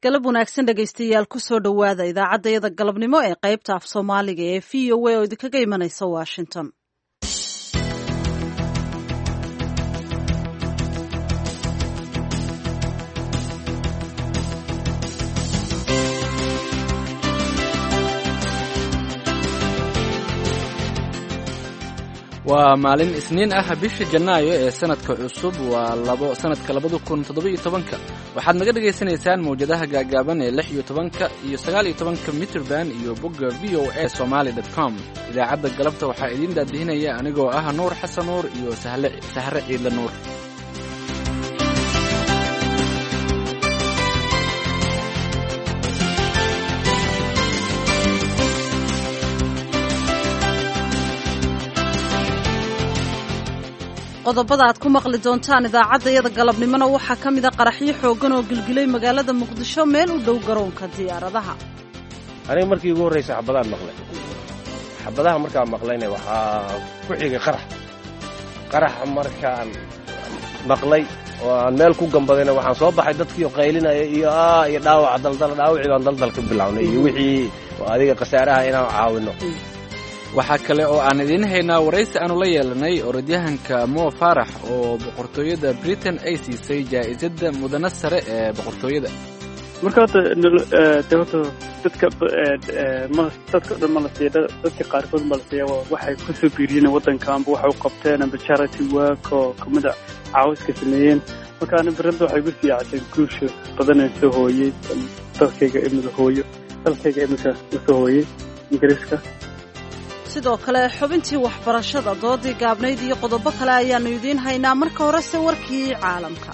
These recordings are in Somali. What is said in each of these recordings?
Galab wanaagsan, dhegaystayaal. Kusoo dhowaada idaacaddayada galabnimo ee qaybta af Soomaaliga ee VOA oo idinkaga imanaysa Washington. Waa maalin Isniin ah, bisha Janaayo ee sanadka cusub waa labo sanadka 2017-ka. Waxaad naga dhagaysanaysaan mawjadaha gaagaaban ee 16-ka iyo 19-ka mitrban iyo bogga VOA Somali com. Idaacadda galabta waxaa idiin daadihinaya anigoo ah Nuur Xasan Nuur iyo Sahre Ciidle Nuur. Qodobada aad ku maqli doontaan idaacaddayada galabnimona waxaa ka mid a qaraxyo xooggan oo gilgilay magaalada Muqdisho, meel u dhow garoonka diyaaradaha. Aniga markii ugu horraysa xabadaan maqlay. Xabadaha markaan maqlayna waxaa ku xigay qarax. Qaraxa markaan maqlay oo aan meel ku gambadayna, waxaan soo baxay dadkii qaylinaya iyo iyo dhaawaca daldala. Dhaawacii baan daldal ka bilownay iyo wixii adiga khasaaraha inaan caawinno. Waxaa kale oo aan idiin haynaa waraysi aanu la yeelanay orodyahanka Mo Faarax oo boqortooyada Britain ay siisay jaa'isadda mudane sare ee boqortooyada. Marka horta de horta dadka ma dadka o dhan ma la siiya, dadka qaarkood ma la siiya. Waxay kusoo biiriyeen waddanka amba waxay u qabteen amba charity work oo kamida caawiska sameeyeen. Marka ani berrinta waxay igu siiyactay guusha badanee soo hooyey dalkayga, imika hooyo dalkayga imika usoo hooyey Ingiriiska. Sidoo kale xubintii waxbarashada, doodii gaabnayd iyo qodobo kale ayaannu idiin haynaa. Marka horese warkii caalamka.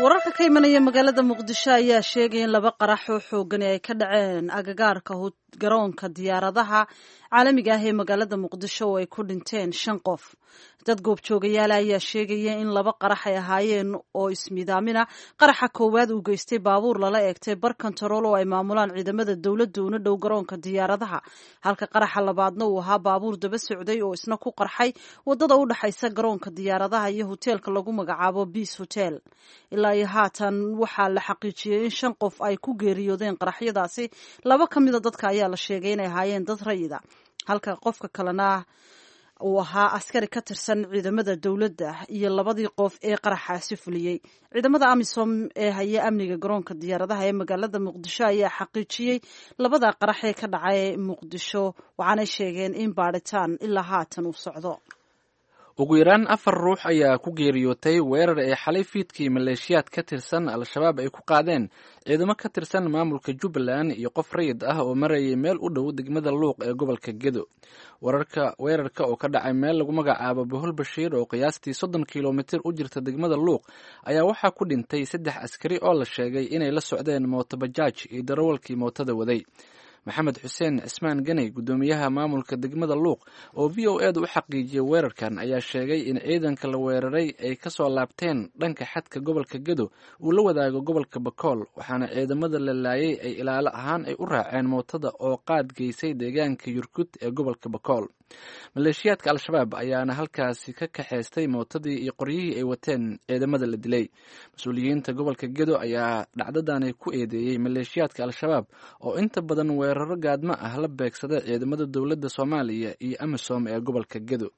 Wararka ka imanaya magaalada Muqdisho ayaa sheegaya in laba qarax oo xoogani ay ka dhaceen agagaarka garoonka diyaaradaha caalamiga ah ee magaalada Muqdisho oo ay ku dhinteen shan qof. Dad goobjoogayaala ayaa sheegaya in laba qarax ay ahaayeen oo ismiidaamina. Qaraxa koowaad uu geystay baabuur lala eegtay bar kontarool oo ay maamulaan ciidamada dowladda una dhow garoonka diyaaradaha, halka qaraxa labaadna uu ahaa baabuur daba socday oo isna ku qarxay wadada u dhexaysa garoonka diyaaradaha iyo hoteelka lagu magacaabo Beace Hotel. Ilaa iyo haatan waxaa la xaqiijiyey in shan qof ay ku geeriyoodeen qaraxyadaasi. Laba ka mida dadka ayaa la sheegay inay ahaayeen dad rayida, halka qofka kalena uu ahaa askari ka tirsan ciidamada dowladda iyo labadii qof ee qaraxaasi fuliyey. Ciidamada AMISOM ee haya amniga garoonka diyaaradaha ee magaalada Muqdisho ayaa xaqiijiyey labada qarax ee ka dhacay Muqdisho, waxaanay sheegeen in baadhitaan ilaa haatan uu socdo. Ugu yaraan afar ruux ayaa ku geeriyootay weerar ay xalay fiidkii maleeshiyaad ka tirsan Al-Shabaab ay ku qaadeen ciidamo ka tirsan maamulka Jubbaland iyo qof rayid ah oo marayay meel u dhow degmada Luuq ee gobolka Gedo. Wararka weerarka oo ka dhacay meel lagu magacaabo Bohol Bashiir oo qiyaastii 30 kilomitir u jirta degmada Luuq ayaa waxaa ku dhintay saddex askari oo la sheegay inay la socdeen mooto bajaaj iyo darawalkii mootada waday. Maxamed Xuseen Cismaan Ganey, guddoomiyaha maamulka degmada Luuq oo VOA da u xaqiijiyey weerarkan, ayaa sheegay in ciidanka la weeraray ay ka soo laabteen dhanka xadka gobolka Gedo uu la wadaago gobolka Bakool, waxaana ciidamada la laayay ay ilaalo ahaan ay u raaceen mootada oo qaad geysay deegaanka Yurkud ee gobolka Bakool. Maleeshiyaadka Al-Shabaab ayaana halkaasi ka kaxaystay mootadii iyo qoryihii ay wateen ciidamada la dilay. Mas-uuliyiinta gobolka Gedo ayaa dhacdadani ku eedeeyey maleeshiyaadka Al-Shabaab oo inta badan weeraro gaadmo ah la beegsada ciidamada dowladda Soomaaliya iyo AMISOM ee gobolka Gedo.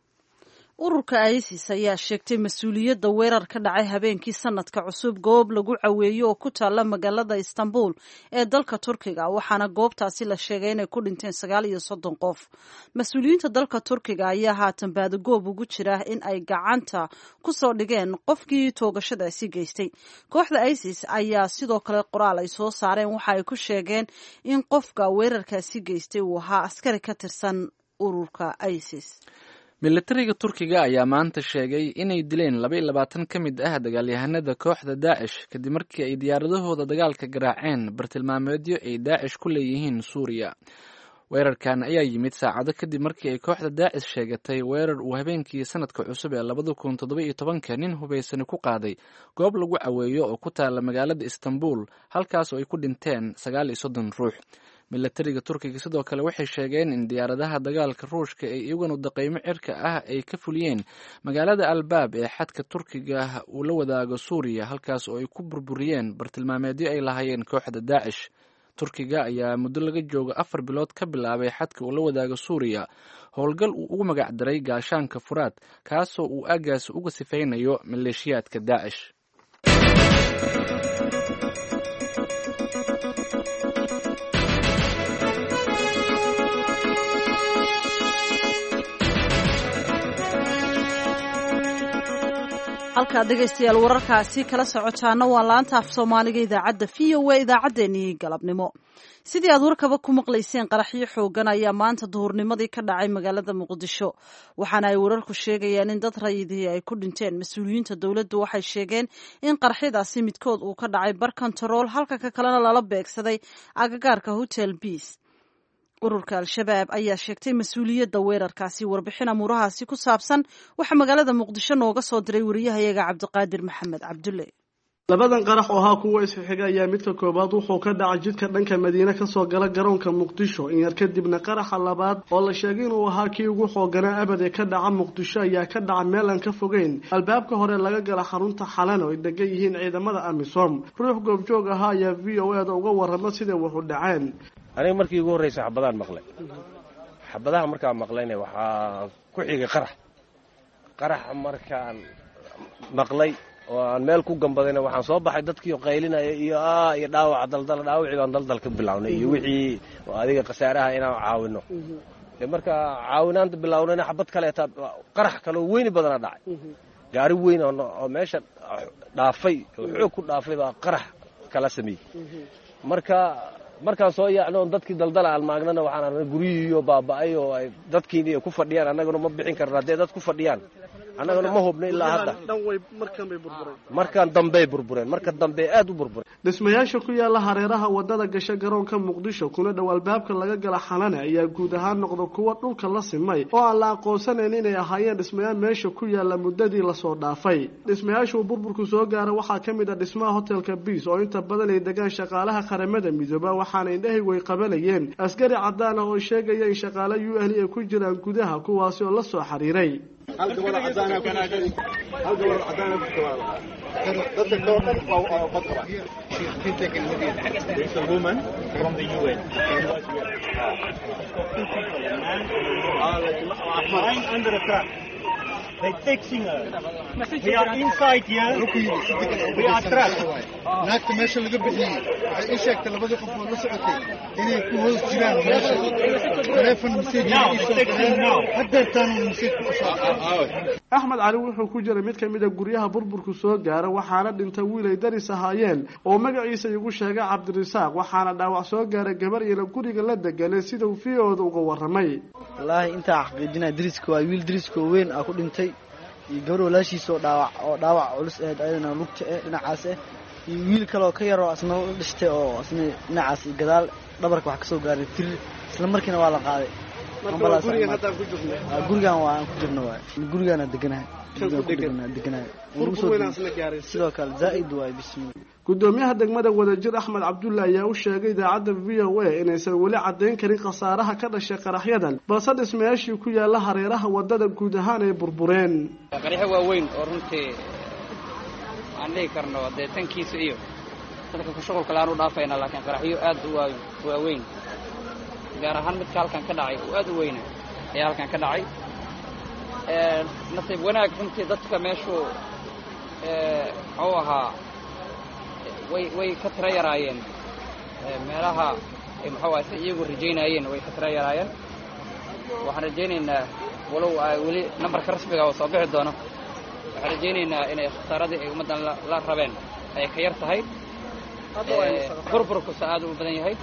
Ururka ISIS ayaa sheegtay mas-uuliyadda weerar ka dhacay habeenkii sanadka cusub goob lagu caweeyo oo ku taalla magaalada Istanbul ee dalka Turkiga, waxaana goobtaasi la sheegay inay ku dhinteen 39 qof. Mas-uuliyiinta dalka Turkiga ayaa haatan baadagoob ugu jira in ay gacanta ku soo dhigeen qofkii toogashadaasi geystay. Kooxda ISIS ayaa sidoo kale qoraal ay soo saareen waxa ay ku sheegeen in qofka weerarkaasi geystay uu ahaa askari ka tirsan ururka ISIS. Militariga Turkiga ayaa maanta sheegay inay dileen 22 ka mid ah dagaalyahanada kooxda Daacish kadib markii ay diyaaradahooda dagaalka garaaceen bartilmaameedyo ay Daacish ku leeyihiin Suuriya. Weerarkan ayaa yimid saacado kadib markii ay kooxda Daacish sheegatay weerar uu habeenkii sanadka cusub ee 2017-ka nin hubaysani ku qaaday goob lagu caweeyo oo ku taala magaalada Istanbul, halkaas oo ay ku dhinteen 39 ruux. Milatariga Turkiga sidoo kale waxay sheegeen in diyaaradaha dagaalka Ruushka ee iyaguna daqaymo cirka ah ay ka fuliyeen magaalada Albaab ee xadka Turkiga uu la wadaago Suuriya, halkaas oo ay ku burburiyeen bartilmaameedyo ay lahaayeen kooxda Daacish. Turkiga ayaa muddo laga joogo 4 bilood ka bilaabay xadka uu la wadaago Suuriya howlgal uu ugu magac daray Gaashaanka Furaad, kaasoo uu aagaas uga sifaynayo maleeshiyaadka Daacish. Halkaad dhegaystayaal wararkaasi kala socotaana waa laanta af Soomaaliga idaacadda VOA, idaacaddeenii galabnimo. Sidii aad warkaba ku maqlayseen, qaraxyo xoogan ayaa maanta duhurnimadii ka dhacay magaalada Muqdisho, waxaana ay wararku sheegayaan in dad rayidihii ay ku dhinteen. Mas-uuliyiinta dowladdu waxay sheegeen in qaraxyadaasi midkood uu ka dhacay bar kontarool, halka ka kalena lala beegsaday agagaarka Hotel Biis. Ururka Al-Shabaab ayaa sheegtay mas-uuliyadda weerarkaasi. Warbixin amuurahaasi ku saabsan waxaa magaalada Muqdisho nooga soo diray wariyahayaga Cabdiqaadir Maxamed Cabdulle. Labadan qarax oo ahaa kuwa isxiga ayaa midka koowaad wuxuu ka dhacay jidka dhanka Madiine kasoo gala garoonka Muqdisho. In yar kadibna qaraxa labaad oo la sheegay inuu ahaa kii ugu xooganaa abad ee ka dhaca Muqdisho ayaa ka dhaca meel aan ka fogeyn albaabka hore laga gala xarunta Xalan oo ay degan yihiin ciidamada AMISOM. Ruux goobjoog ahaa ayaa VOA da uga warrama siday wuxu dhaceen. Aniga markii ugu horraysa xabadaan maqlay. Xabadaha markaan maqlayna waxaa ku xigay qarax. Qaraxa markaan maqlay oo aan meel ku gambadayna waxaan soo baxay dadkii qaylinaya iyo iyo dhaawaca daldala, dhaawacii baan daldal ka bilownay iyo wixii adiga khasaaraha inaan caawino. De marka caawinaanta bilownayna xabad kaleeta qarax kaloo weyni badana dhacay. Gaari weyn oo meesha dhaafay oo xoog ku dhaafay baa qarax kala sameeyey. Marka markaan soo yaacno oon dadkii daldala aan maagnana, waxaan aragnay guryihiiyo baaba'ay oo ay dadkiini ku fadhiyaan. Annaguna ma bixin karno haddee dad ku fadhiyaan, annaguna ma hubno ilaa hadda. Markaan dambey burbureen, marka dambe aad u burbureen. Dhismayaasha ku yaala hareeraha wadada gasha garoonka Muqdisho kuna dhow albaabka laga gala Xalane ayaa guud ahaan noqda kuwa dhulka la simay oo aan la aqoonsanayn inay ahaayeen dhismayaal meesha ku yaala muddadii lasoo dhaafay. Dhismayaasha uu burburku soo gaara waxaa ka mid ah dhismaha hotelka Biis oo inta badan ay degaan shaqaalaha Qaramada Midooba, waxaana indhahaygu ay qabanayeen askari caddaan ah oo sheegaya in shaqaale UN ay ku jiraan gudaha, kuwaasi oo la soo xiriiray. Hal gabar cadaan ah ku hal gabar cadaan ah ku dadka kale oo dhan waa bad qabaan. There's a woman from the UN. Lying under a truck. They're texting her. We are inside here. We are trapped. Naagta meesha laga bixiyey waxay ii sheegtay labadii qof oo la socotay inay ku hoos jiraan meesha. Taleefon message Now, ii soo texting direen. Now. Haddeertaan message ku soo. Axmed Cali wuxuu ku jiray mid ka mid a guryaha burburku soo gaara, waxaana dhintay wiil ay daris ahaayeen oo magaciisa igu sheegay Cabdirasaaq, waxaana dhaawac soo gaaray gabar iyana guriga la deganay, sida uu VOA-da uga warramay. Wallaahi intaa xaqiijinaya, dariska waa wiil dariska oo weyn aa ku dhintay iyo gabar walaashiisa oo dhaawac culus ahayd ayadana lugta eh dhinacaas eh, iyo wiil kale oo ka yaroo asna u dhashtay oo asna dhinacaas iyo gadaal dhabarka wax kasoo gaaray tirir, isla markiina waa la qaaday. Ambulance gurigan imaatay. Haddaan ku jirno. Gurigan waa aan ku jirno waay, gurigaana deganahay. Kan ku Gurigaan ku degan. deganahay. Burbur weyn asna gaaray. Sidoo kale zaa'id waay, bismillah. Gudoomiyaha degmada Wadajir Axmed Cabdulle ayaa u sheegay idaacadda VOA inaysan weli caddayn karin khasaaraha ka dhashay qaraxyadan, balse dhismayaashii ku yaala hareeraha wadada guud ahaan ay burbureen. Qaraxyo waaweyn oo runtii aan dhihi karno dee tankiisa iyo dadka ku shuqulka laan u dhaafayna, laakiin qaraxyo aad u waaweyn, gaar ahaan midka halkan ka dhacay oo aad u weyna ayaa halkan ka dhacay. Nasiib wanaag runtii dadka meeshu muxuu ahaa way ka tira yaraayeen meelaha ay muxuu ahaa si iyagu rajaynayeen, way ka tira yaraayeen. Waxaan rajaynaynaa, walow ay weli nambarka rasmiga oo soo bixi doono, waxaan rajaynaynaa inay khasaaradii ay ummaddan la rabeen ay ka yar tahay. Burburkusa aad u badan yahay.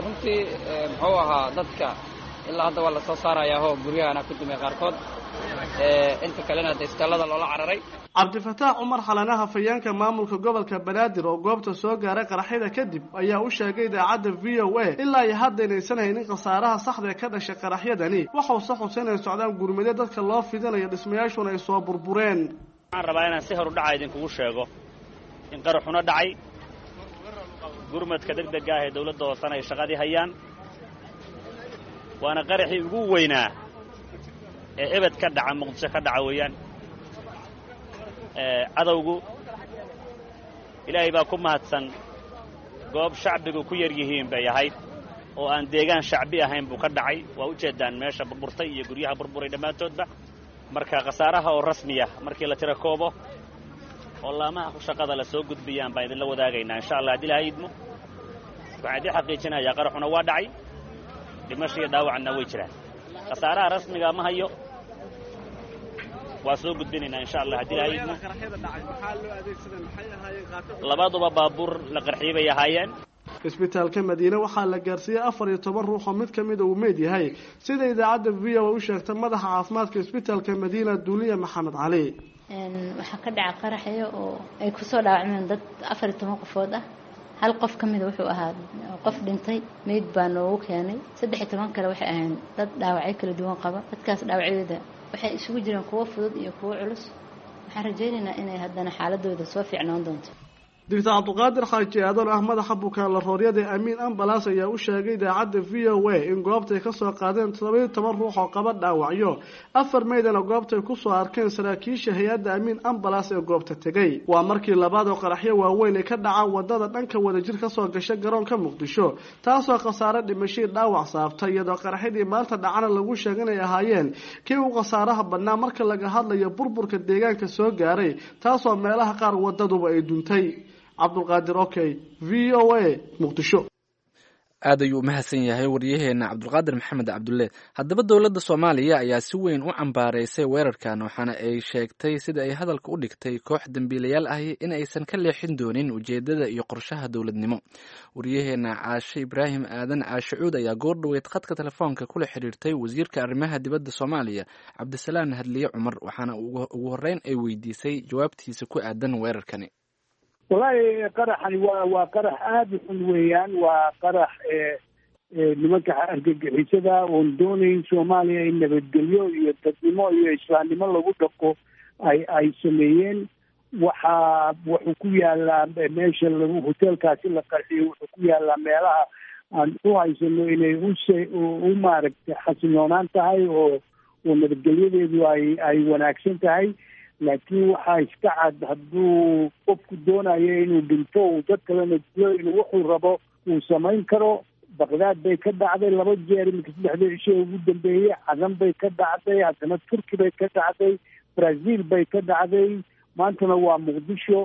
Runtii muxuu ahaa dadka ilaa hadda waa lasoo saarayaahoo guryahana ku dumay qaarkood, inta kalena de istaallada loola cararay. Cabdifataax Cumar Xalanaha, fayeenka maamulka gobolka Banaadir oo goobta soo gaaray qaraxyada kadib, ayaa u sheegay idaacadda VOA ilaa iyo hadda inaysan haynin khasaaraha saxda ee ka dhashay qaraxyadani. Waxause xusay inay socdaan gurmado dadka loo fidinayo, dhismayaashuna ay soo burbureen. Waxaan rabaa inaan si hor u dhaca idinkugu sheego in qaraxuna dhacay. Gurmadka degdega ah ee dawladda hoosena ay shaqadii hayaan. Waana qaraxii ugu weynaa ee ebed ka dhaca Muqdisho ka dhaca weeyaan. Cadowgu Ilaahay baa ku mahadsan, goob shacbigu ku yar yihiin bay ahayd oo aan deegaan shacbi ahayn buu ka dhacay. Waa u jeedaan meesha burburtay iyo guryaha burburay dhammaantoodba. Marka khasaaraha oo rasmiya markii la tira koobo oo laamaha shaqada la soo gudbiyaan baan idinla wadaagaynaa insha Allah haddii Ilaahay idmo. Waxaan idiin xaqiijinayaa qaraxuna waa dhacay, dhimasho iyo dhaawacna way jiraan. Khasaaraha rasmiga ma hayo, waa soo gudbinaynaa insha Allah haddii Ilaahay idmo. Labaduba baabuur la qarxiyey bay ahaayeen. Isbitaalka Madiine waxaa la gaarsiiyey 14 ruux oo mid ka mid uu meyd yahay, sida idaacadda VOA u sheegtay madaxa caafimaadka isbitaalka Madiina, Duuliya Maxamed Cali. Waxaa ka dhaca qaraxyo oo ay kusoo dhaawacmeen dad 14 qofood ah. Hal qof ka mida wuxuu ahaa qof dhintay, meyd baa noogu keenay. 13 kale waxay ahayn dad dhaawacyo kala duwan qaba. Dadkaas dhaawacyadooda waxay isugu jireen kuwo fudud iyo kuwo culus. Waxaan rajaynaynaa inay haddana xaaladooda soo fiicnaan doonto. Doctor Cabdiqaadir Xaaji Aadan, ah madaxa bukaan larooryada Amiin Ambulance, ayaa u sheegay idaacadda VOA in goobtay ka soo qaadeen 17 ruux oo qaba dhaawacyo, 4 meydana goobtay kusoo arkeen saraakiisha hay-adda Amiin Ambulance ee goobta tegay. Waa markii labaad oo qaraxyo waaweyn ay ka dhacaan wadada dhanka Wadajir kasoo gasha garoonka Muqdisho, taasoo khasaare dhimashii dhaawac saabtay, iyadoo qaraxyadii maanta dhacana lagu sheegay inay ahaayeen kii u khasaaraha badnaa marka laga hadlayo burburka deegaanka soo gaaray, taasoo meelaha qaar wadaduba ay duntay. Cabdulqaadir Okey, VOA, Muqdisho. Aad ayuu u mahadsan yahay waryaheena Cabdulqaadir Maxamed Cabdulle. Haddaba dowladda Soomaaliya ayaa si weyn u cambaaraysay weerarkan, waxaana ay sheegtay sida ay hadalka u dhigtay koox dembiilayaal ahi in aysan ka leexin doonin ujeeddada iyo qorshaha dowladnimo. Waryaheena Caashe Ibraahim Aadan Caashe Cuud ayaa goor dhoweyd khadka telefoonka kula xiriirtay wasiirka arrimaha dibadda Soomaaliya, Cabdisalaan Hadliye Cumar, waxaana ugu horreyn ay weydiisay jawaabtiisa ku aadan weerarkani. Wallaahi qaraxani waa qarax aada u xun weeyaan. Waa qarax nimanka argagixisada oon doonayn Soomaaliya in nabadgelyo iyo dadnimo iyo islaamnimo lagu dhaqo ay sameeyeen. Waxaa wuxuu ku yaalaa meesha lagu hoteelkaasi la qarxiyo, wuxuu ku yaalaa meelaha aan u haysano inay u maaragtay xasiloonaan tahay oo nabadgelyadeedu ay wanaagsan tahay. Laakiin waxaa iska cad hadduu qofku doonayo inuu dhinto uu dad kalena dilo, inuu wuxuu rabo uu samayn karo. Baqdaad bay ka dhacday 2 jeer iminka 3dii cisho ugu dambeeyey, Cadan bay ka dhacday, haddana Turki bay ka dhacday, Brazil bay ka dhacday, maantana waa Muqdisho.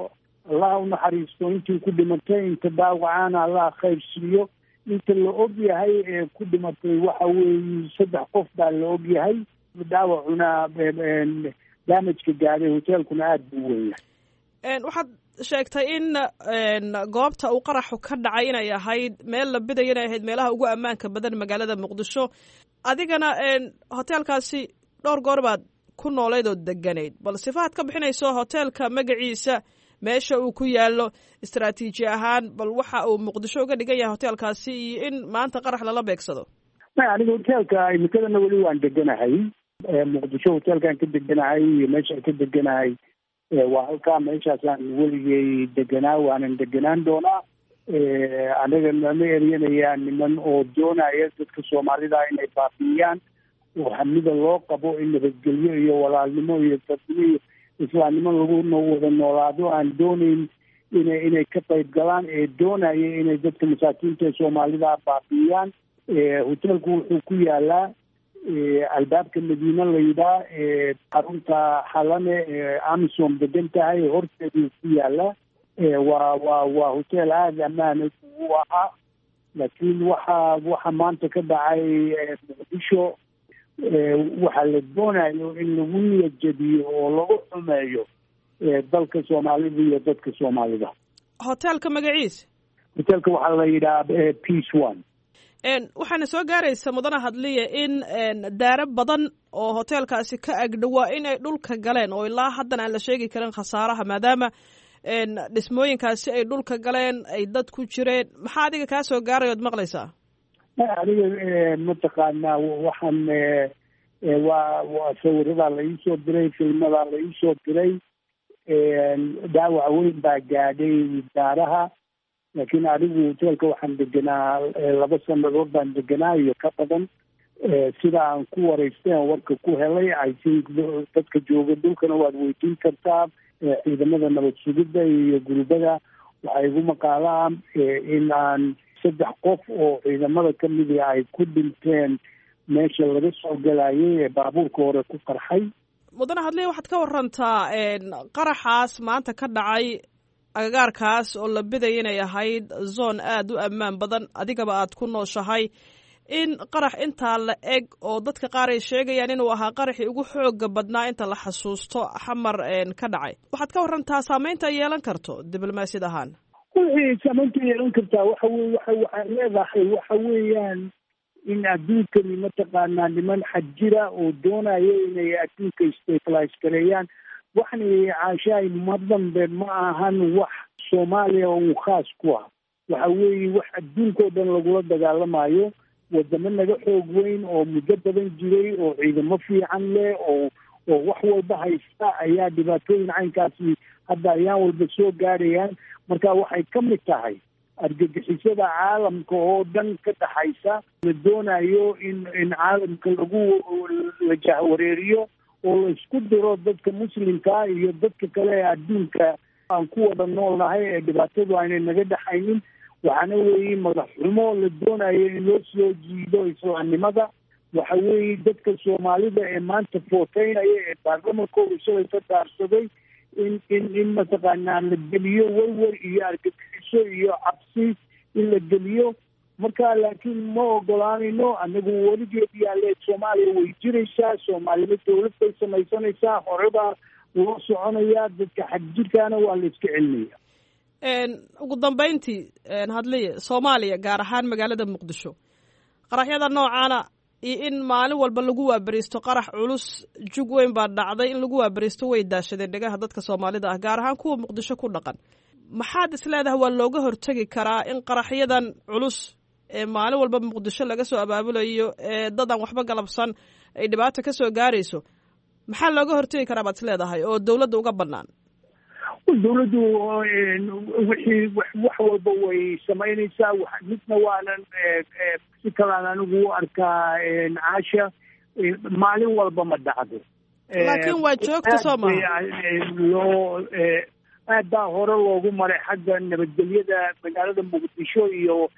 Allah u naxariisto intii ku dhimatay, inta dhaawacaana Allah khayr siiyo. Inta la og yahay ee ku dhimatay waxa weeye 3 qof baa la og yahay. Dhaawacuna damajka gaaday hoteelkuna aada buu weynyahay. Waxaad sheegtay in goobta uu qaraxu ka dhacay inay ahayd meel la bidayo, inay ahayd meelaha ugu ammaanka badan magaalada Muqdisho. Adigana hoteelkaasi dhowr goor baad ku nooleyd oo deganayd. Bal sifahaad ka bixinayso hoteelka magaciisa, meesha uu ku yaalo istaraatiiji ahaan, bal waxa uu Muqdisho uga dhigan yahay hoteelkaasi iyo in maanta qarax lala beegsado. Maya, aniga hoteelka imikadana weli waan deganahay Muqdisho. Hoteelkaan ka deganahay iyo meeshaan ka deganahay waa halkaa, meeshaasaan weligay deganaa, waanan deganaan doonaa. Anaga nama eryanayaan niman oo doonaya dadka Soomaalida inay baabi'iyaan oo hamida loo qabo in nabadgelyo iyo walaalnimo iyo dadnimo iyo islaamnimo lagu wada noolaado aan doonayn inay ka qayb galaan, ee doonaya inay dadka masaakiinta ee Soomaalida baabi'iyaan. Hoteelku wuxuu ku yaalaa albaabka Madiine la yidhaa, xarunta Xalane ee Amisom degan tahay horteeduu ku yaala. Waa hotel aada ammaan u ahaa, laakiin waxa maanta ka dhacay Muqdisho waxaa la doonayo in lagu niyad jabiyo oo lagu xumeeyo dalka Soomaalida iyo dadka Soomaalida. Hoteelka magaciisa? Hoteelka waxaa la yidhaha Peace One. Waxaana soo gaaraysa, mudana Hadliya, in daaro badan oo hoteelkaasi ka agdhowaa in ay dhulka galeen oo ilaa haddana aan la sheegi karin khasaaraha, maadaama dhismooyinkaasi ay dhulka galeen ay dad ku jireen. Maxaa adiga kaa soo gaaray ood maqlaysaa? Aniga mataqaanaa waxaan waa sawiradaa la iisoo diray, filmadaa la iisoo diray. Dhaawac weyn baa gaadhay daaraha. Laakiin anigu hoteelka waxaan deganaa 2 sanadood baan deganaa iyo ka badan. Sida aan ku wareystay aan warka ku helay, I think dadka jooga dhulkana waad weydiin kartaa, ciidamada nabad sugidda iyo gurubada waxay igu maqaalaan in aan 3 qof oo ciidamada ka midi ay ku dhinteen meesha laga soo galayay ee baabuurka hore ku qarxay. Mudane Hadliya, waxaad ka warantaa qaraxaas maanta ka dhacay agagaarkaas oo la bidaya inay ahayd zone aada u ammaan badan, adigaba aad ku nooshahay, in qarax intaa la eg oo dadka qaar ay sheegayaan inuu ahaa qaraxii ugu xooga badnaa inta la xasuusto Xamar ka dhacay. Waxaad ka warantaa saameynta ay yeelan karto diblomaasiyad ahaan. Wixii saameynta yeelan kartaa waxa wey waxay leedahay waxa weeyaan in adduunkani mataqaanaa niman xadjira oo doonaya inay adduunka stabilize gareeyaan. Waxani caashaay ma dambe ma ahan wax Soomaaliya uu khaas ku ah, waxa weeye wax adduunkao dhan lagula dagaalamayo. Wadamo naga xoog weyn oo muddo badan jiray oo ciidamo fiican leh oo wax walba haysta ayaa dhibaatooyin caynkaasi hadda ayaan walba soo gaarayaan. Marka waxay ka mid tahay argagixisada caalamka oo dhan ka dhaxaysa, la doonayo in caalamka lagu la jahwareeriyo oo la isku diro dadka muslimka iyo dadka kale ee adduunka aan ku wada noolnahay ee dhibaatadu aynay naga dhaxaynin. Waxaana weeye madaxxumo la doonayo in loo soo jiido islaamnimada. Waxa weeye dadka Soomaalida ee maanta footeynaya ee baarlamankooda shalay ka daarsaday in in in mataqaanaa la geliyo werwer iyo argagixiso iyo cabsi in la geliyo. Marka laakiin ma ogolaanayno anagu, weligeed yaale Soomaaliya way jiraysaa, Soomaalida dowlad bay samaysanaysaa, horebaa loo soconayaa, dadka xagjirkaana waa la iska celinaya. Ugu dambeyntii Hadliye, Soomaaliya gaar ahaan magaalada Muqdisho qaraxyada noocaana iyo in maalin walba lagu waaberiisto qarax culus jug weyn baa dhacday, in lagu waaberiisto way daashadeen dhegaha dadka Soomaalida ah, gaar ahaan kuwa Muqdisho ku dhaqan. Maxaad is leedahay waa looga hortegi karaa in qaraxyadan culus ee maalin walba Muqdisho laga soo abaabulayo ee dad aan waxba galabsan ay dhibaato ka soo gaarayso? Maxaa looga hortegi karaa baad is leedahay oo dowladda uga bannaan? Dowladdu wixii wax walba way samaynaysaa. Midna waanan si kalaan anigu u arkaa Caasha, maalin walba ma dhacdo, laakiin waa joogta soo maha. Loo aad baa hore loogu maray xagga nabadgelyada magaalada Muqdisho iyo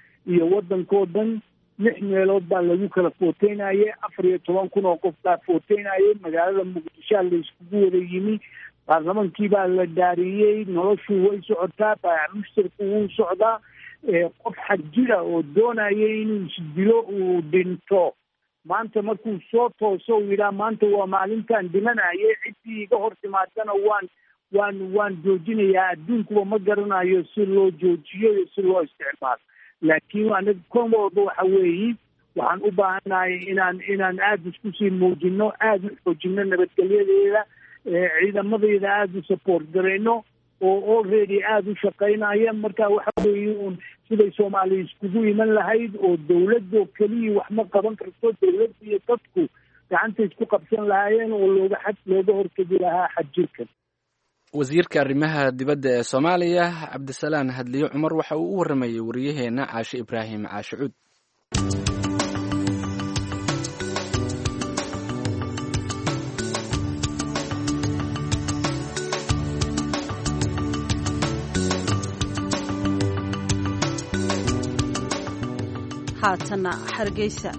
waddankoo dhan. 6 meelood baa lagu kala footeynayay, 14,000 oo qof baa footeynayay. Magaalada Muqdishoa la iskugu wada yimi, baarlamankii baa la dhaariyey, noloshu way socotaa, baayac mushtarku wuu socdaa. Qof xagjira oo doonaya inuu isdilo uu dhinto maanta markuu soo tooso uu yidhaha maanta waa maalintaan dhimanayay, ciddii iga hor timaadana waan joojinayaa. Adduunkuba ma garanayo si loo joojiyo iyo si loo isticmaalo. Laakiin anaga kon walba waxa weeye waxaan u baahanahay inaan aada isku sii muujino, aada u xoojino nabadgelyadeeda, ciidamadeeda aada u support garayno oo already aada u shaqaynaya. Marka waxa weeye uun siday Soomaaliya iskugu iman lahayd oo dowladdo keliya wax ma qaban karto, dowladda iyo dadku gacanta isku qabsan lahaayeen oo looga hortegi lahaa xadjirkan. Wasiirka arrimaha dibadda ee Soomaaliya Cabdisalaan Hadliye Cumar waxa uu u warramayey wariyaheena Caashe Ibraahim Caashe Cuud. Haatana Hargeysa.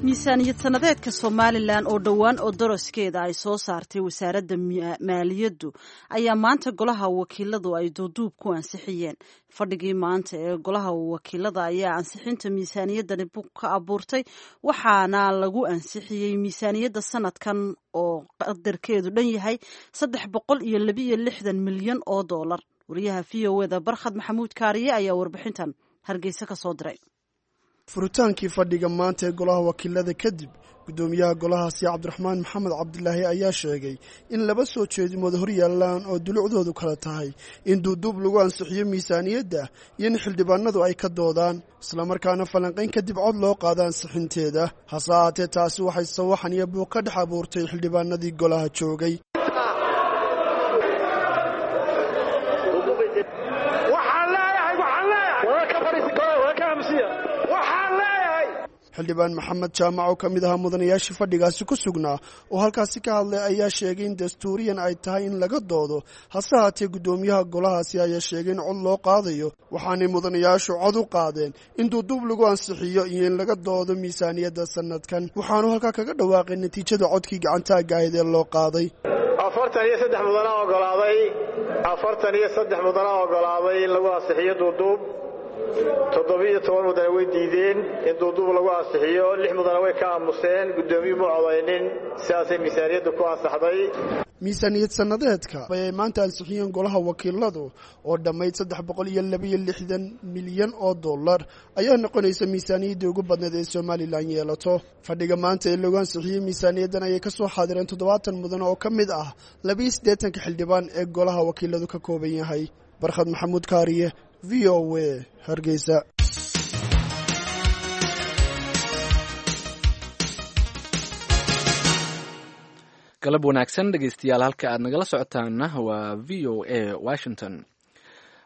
Miisaaniyad sanadeedka Somalilan oo dhowaan oo doroskeeda ay soo saartay wasaaradda maaliyaddu ayaa maanta golaha wakiiladu ay duuduub ku ansixiyeen. Fadhigii maanta ee golaha wakiilada ayaa ansixinta miisaaniyaddani ka abuurtay, waxaana lagu ansixiyey miisaaniyadda sanadkan oo qadarkeedu dhan yahay $362 milyan oo dollar. Wariyaha VOA-da Barkhad Maxamuud Kaariye ayaa warbixintan Hargeysa ka soo diray. Furitaankii fadhiga maanta ee golaha wakiilada kadib, guddoomiyaha golahaasi Cabdiraxmaan Maxamed Cabdilaahi ayaa sheegay in laba soo jeedimood hor yaallaan oo dulucdoodu kala tahay in duuduub lagu ansixiyo miisaaniyadda iyo in xildhibaanadu ay ka doodaan, islamarkaana falanqayn kadib cod loo qaada ansixinteeda. Hase ahaatee taasi waxay sawaxan iyo buuq ka dhex abuurtay xildhibaanadii golaha joogay. Waxaan leeyahay Xildhibaan Maxamed Jaamac oo ka mid ahaa mudanayaashii fadhigaasi ku sugnaa oo halkaasi ka hadlay ayaa sheegay in dastuuriyan ay tahay in laga doodo, hase haatee guddoomiyaha golahaasi ayaa sheegay in cod loo qaadayo, waxaanay mudanayaashu cod u qaadeen in duuduub lagu ansixiyo iyo in laga doodo miisaaniyadda sanadkan. Waxaanu halkaa kaga dhawaaqay natiijada codkii gacantaagga ahayd ee loo qaaday. 43 mudana ogolaaday, 43 mudana ogolaaday in lagu ansixiyo duuduub. 17 mudane way diideen in duuduub lagu ansixiyo, 6 mudane way ka aamuseen, guddoomiyuhu ma codaynin, sidaasay miisaaniyaddu ku ansaxday. Miisaaniyad sannadeedka ayay maanta ansixiyeen golaha wakiiladu oo dhammayd 362 milyan oo dollar ayaa noqonaysa miisaaniyaddii ugu badnayd ee Somalilan yeelato. Fadhiga maanta ee lagu ansixiyey miisaaniyaddan ayay ka soo xaadireen 70 mudan oo ka mid ah 82ka xildhibaan ee golaha wakiiladu ka kooban yahay. Barkhad Maxamuud Kaariye, VOA, Hargeysa. Galab wanaagsan dhegeystayaal, halka aad nagala socotaana waa VOA Washington.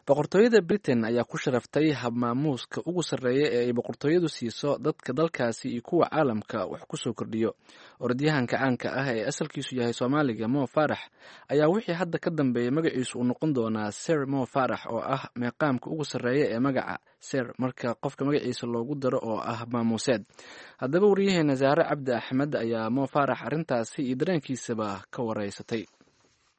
Boqortooyada Britain ayaa ku sharaftay habmaamuuska ugu sarreeya ee ay boqortooyadu siiso dadka dalkaasi iyo kuwa caalamka wax ku soo kordhiyo. Orodyahanka caanka ah ee asalkiisu yahay Soomaaliga, Mo Faarax, ayaa wixii hadda ka dambeeyay magaciisu uu noqon doonaa Sir Mo Faarax, oo ah meeqaamka ugu sarreeya ee magaca Sir marka qofka magaciisa loogu daro oo ah maamuuseed. Haddaba wariyaheena Saare Cabdi Axmed ayaa Mo Faarax arrintaasi iyo dareenkiisaba ka wareysatay.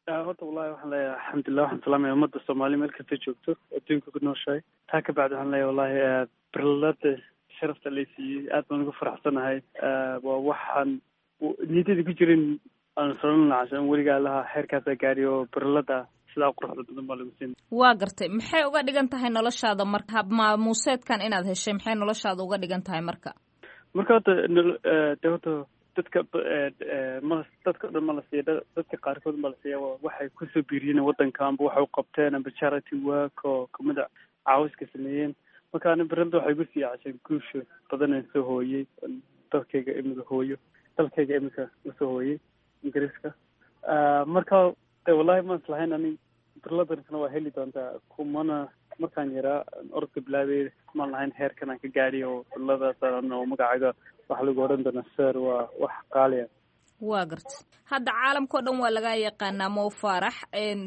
Horta wallahi waxaan leeyahay alxamdulilah, waxaan salaamaya ummadda Soomaaliya meel kasta joogto adduunka ku nooshahay. Taa ka bacdi waxaan leeyahay wallahi birlada sharafta lay siiyey aad baan ugu faraxsanahay. Waa waxaan niyadada ku jirin aan soran lahaa weligaa lahaa xeerkaasaa gaari oo birlada sidaa quruxda badan baa lagu siin. Waa gartay, maxay uga dhigan tahay noloshaada marka habmaamuuseedkan inaad heshay, maxay noloshaada uga dhigan tahay marka? Marka horta de horta dadka ma dadka o dhan ma la siiya, dadka qaarkood ma la siiya. Waxay kusoo biiriyeen waddanka amba waxay u qabteen amba charity work oo kamida caawiska sameeyeen. Marka ani birlada waxay igu sii cashay guusha badan aan soo hooyey dalkayga imika hooyo, dalkayga imika usoo hooyey Ingiriiska. Marka de wallahi maan islahayn ani birladankana waa heli doontaa kumana markaan yaraa orodka bilaabay maan lahayn heerkan aan ka gaadhi oo birladaas oo magacaaga waxaa lagu odhan doonaa sir, waa wax qaaliya. Waa garta, hadda caalamka o dhan waa laga yaqaanaa Mo Faarax,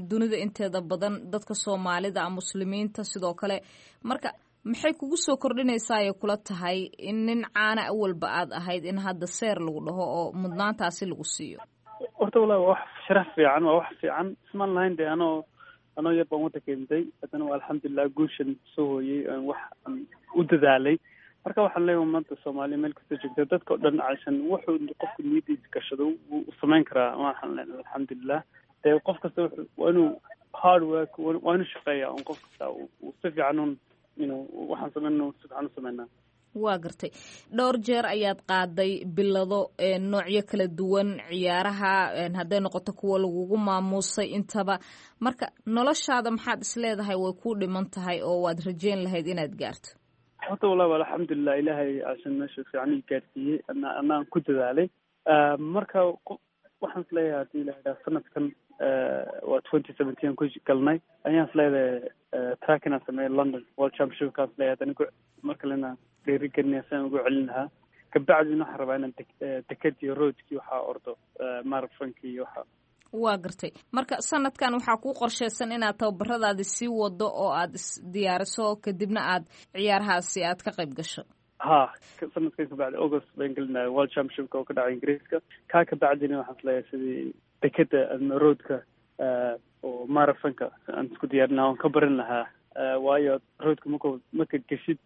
dunida inteeda badan dadka Soomaalida a muslimiinta sidoo kale. Marka maxay kugu soo kordhinaysaa ay kula tahay in nin caana awalba aad ahayd in hadda seer lagu dhaho oo mudnaantaasi lagu siiyo? Horta wallahi waa wax sharaf fiican, waa wax fiican. Ismaan lahayn dee anoo yar baan waddanka imday, haddana waa alxamdulilah guushan soo hooyey wax aan u dadaalay. Marka waxaan leeyahay ummadda Soomaaliya meel kasta joogta dadka o dhan cashan wuxuu qofku niyadiisa gashado wuu samayn karaa. Waxaan leenahay alxamdulilah dee qof kasta waa inuu hard work, waa inuu shaqeeya un qof kasta uu si fiican un inuu waxaan sameynno si fiican u sameynaa. Waa gartay, dhowr jeer ayaad qaaday bilado noocyo kala duwan ciyaaraha hadday noqoto kuwa lagugu maamuusay intaba. Marka noloshaada maxaad isleedahay way ku dhiman tahay oo waad rajeyn lahayd inaad gaarto? Horta wallahi waa alxamdulilah, ilaahay cashan meesha fiican ii gaarsiiyey anaan ku dadaalay. Marka waxaan isleeyahay haddii la yidhaha sanadkan waa 2017 ku galnay ayaan isleedahay track inaan sameeyo London World Championship kaan isleeyahay, haddana mar kalena dhiirigelinaya si aan ugu celin lahaa. Kabacdina waxaan rabaa inaan dekadii roadkii waxaa ordo marathonki iyo waxa. Waa gartay, marka sanadkan waxaa kuu qorsheysan inaad tababaradaadi sii wado oo aad isdiyaariso kadibna aad ciyaarahaasi aad ka qayb gasho? Ha, sanadkan kabacdi August baan gelinaya World Championshipka oo ka dhacay Ingiriiska. Kaa kabacdina waxaan isleeyahay sidii dekeda ama roadka oo marathonka aan isku diyaarin lahaa oon ka barin lahaa. Waayo roadka marka geshid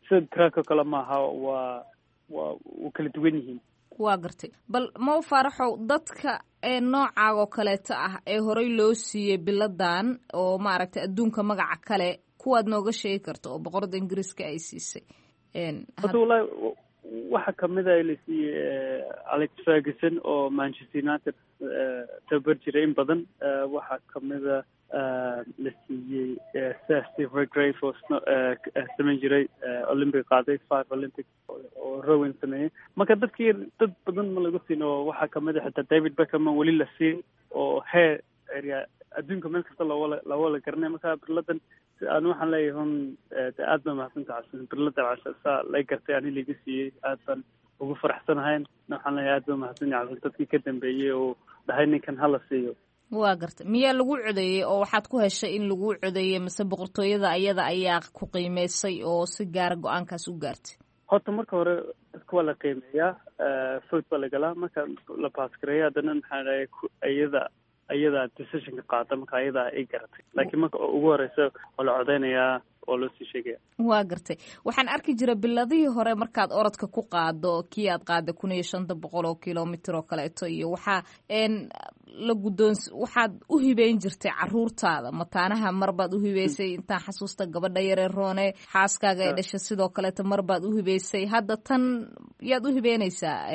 sida track oo kale maaha, waa wuu kala duwan yihiin. Waa gartay, bal Mo Faaraxow, dadka ee noocaaga oo kaleeto ah ee horey loo siiyey biladan oo maaragtay adduunka magaca kale kuwaad nooga sheegi karto oo boqorada Ingiriiska ay siisay? Horta wallahi waxaa kamid a la siiyey Alex Ferguson oo Manchester United tababar jiray in badan. Waxaa kamida la siiyey Sir Steve Redgrave oo samayn jiray Olympic qaaday 5 Olympic oo rowing sameeyey. Marka dadkii dad badan ma lagu siin oo waxaa kamid a xitaa David Beckham weli la siin oo heer area adduunka meel kasta loola garanay. Marka birladan Anu waxaan leeyahay hun aad baa mahadsanta casan birlada casan saa lay gartay ani liga siiyey, aad baan ugu faraxsanahay. Waxaan leeyahay aad baa mahadsan casan dadkii ka dambeeyey oo dhahay ninkan hala siiyo. Waa gartay. Miyaa lagu codeeyey oo waxaad ku heshay in lagu codeeyey, mise boqortooyada ayada ayaa ku qiimeysay oo si gaara go-aankaas u gaartay? Horta marka hore dadka waa la qiimeeyaa, vote baa la galaa, marka la baasgareeya haddana maxaa dhahay iyada decisionka qaata, marka ayadaa ay garatay, laakiin marka ugu horeysa waa la codeynayaa oo loo sii sheegaya. Waa gartay. Waxaan arki jiray biladihii hore markaad orodka ku qaado, kii aad qaada 1500 oo kilomitr oo kaleeto, iyo waxaa la guddoons waxaad u hibeyn jirtay caruurtaada mataanaha. Marbaad u hibeysay intaan xasuusta gabadha yaree Roone xaaskaaga ee dhashay, sidoo kaleeto marbaad u hibeysay. Hadda tan yaad u hibeynaysaa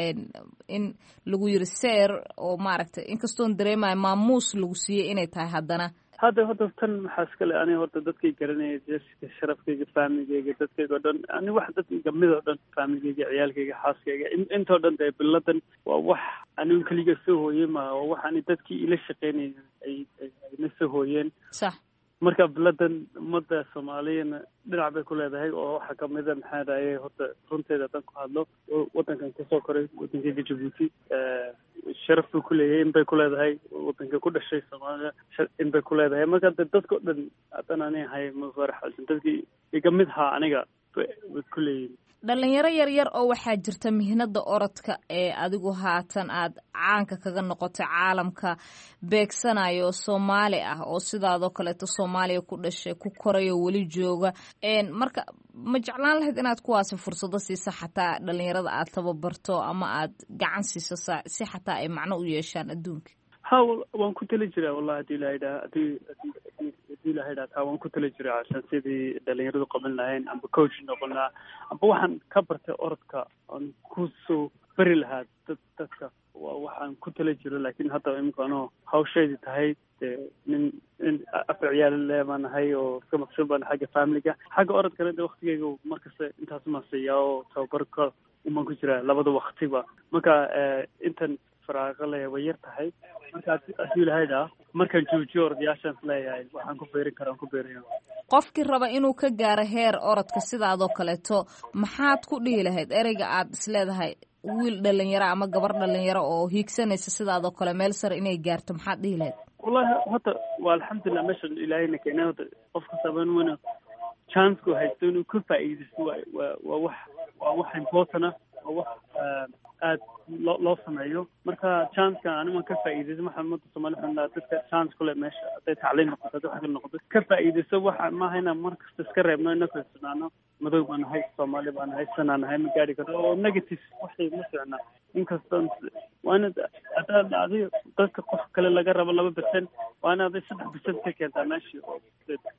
in lagu yiri seer oo maaragtay, inkastoon dareemayo maamuus lagu siiyey inay tahay haddana? Hadda horta tan maxaa iskale ani horta dadkay garanaya, jeska sharafkayga, faamigayga, dadkayga o dhan, ani wax dadkayga mid oo dhan, faamigayga, ciyaalkayga, xaaskayga, intoo dhan dee biladan waa wax anigu keliga soo hooyey ma, waa wax ani dadkii ila shaqeynayay ay ayna soo hooyeen. Marka biladan ummadda soomaaliyana dhinac bay ku leedahay oo waxaa kamida maxaa dhahaye, horta runteeda haddaan ku hadlo, wadankan kusoo koray, wadankayga Jabuuti, sharaf buu ku leeyahay, in bay ku leedahay wadanka ku dhashay Soomaaliya, in bay ku leedahay. Marka de dadka o dhan haddaan ani ahay Mufarax Xasan, dadkii iga mid haa aniga way ku leeyihin. Dhalinyaro yar yar oo waxaa jirta mihnada orodka ee adigu haatan aad caanka kaga noqotay caalamka beegsanayo, Soomaali ah oo sidaadoo kaleeto Soomaaliya ku dhashay, ku korayo, weli jooga. Marka ma jeclaan lahayd inaad kuwaasi fursado siiso, xataa dhalinyarada aad tababarto ama aad gacan siiso si xataa ay macno u yeeshaan adduunka? Ha, waan ku tali jiraa wallahi, hadii ilaha idhaha hadii ilaha idhaha taa waan ku tali jiraa cashan sidii dhalinyaradu qaban lahayn amba coach noqon lahaa amba waxaan ka bartay orodka aan kusoo bari lahaa dadka, waa waxaan ku tali jiro. Laakiin hadda imika anoo hawsheydii tahay dee nin afar ciyaal le baan ahay oo iska maqsuud baan xagga familiga, xagga orodkana de waktigeyga markasta intaas maan siiyaa oo tababarka umaan ku jiraa labada waktiba. Marka intan faraaqa le way yar tahay. Marka haddii ilahaydhaa markaan joojiyo ordayaashaan isleeyahay waxaan ku beerin karaa ku beeraya. Qofkii raba inuu ka gaaro heer orodka sidaadoo kaleeto, maxaad ku dhihi lahayd ereyga aad isleedahay wiil dhalinyaro ama gabar dhalinyaro oo hiigsanaysa sidaadoo kale meel sare inay gaarto, maxaad dhihi lahayd? Wallahi horta waa alxamdulilah meeshan ilaahayna keenay. Horta qof kastaba inuu chanceku haysto inuu ka faa'iidaysto waa wax important ah, waa wax aad loo sameeyo. Marka chanceka ani waan ka faa'iidaysan. Waxaan ummadda Soomaali waxaan lahaa dadka chance kule meesha, hadday tacliin noqoto, hadday wax kale noqoto, ka faa'iidayso. Waxa maaha inaan mar kasta iska reebno inaka isnaano madow baan nahay, Soomaali baan nahay, sanaa nahay, ma gaari karno oo negative waxay ma fiicna. Inkastoo waa inaad haddaad adiga dadka qof kale laga rabo 2%, waa inaad 3% ka keentaa meeshii oo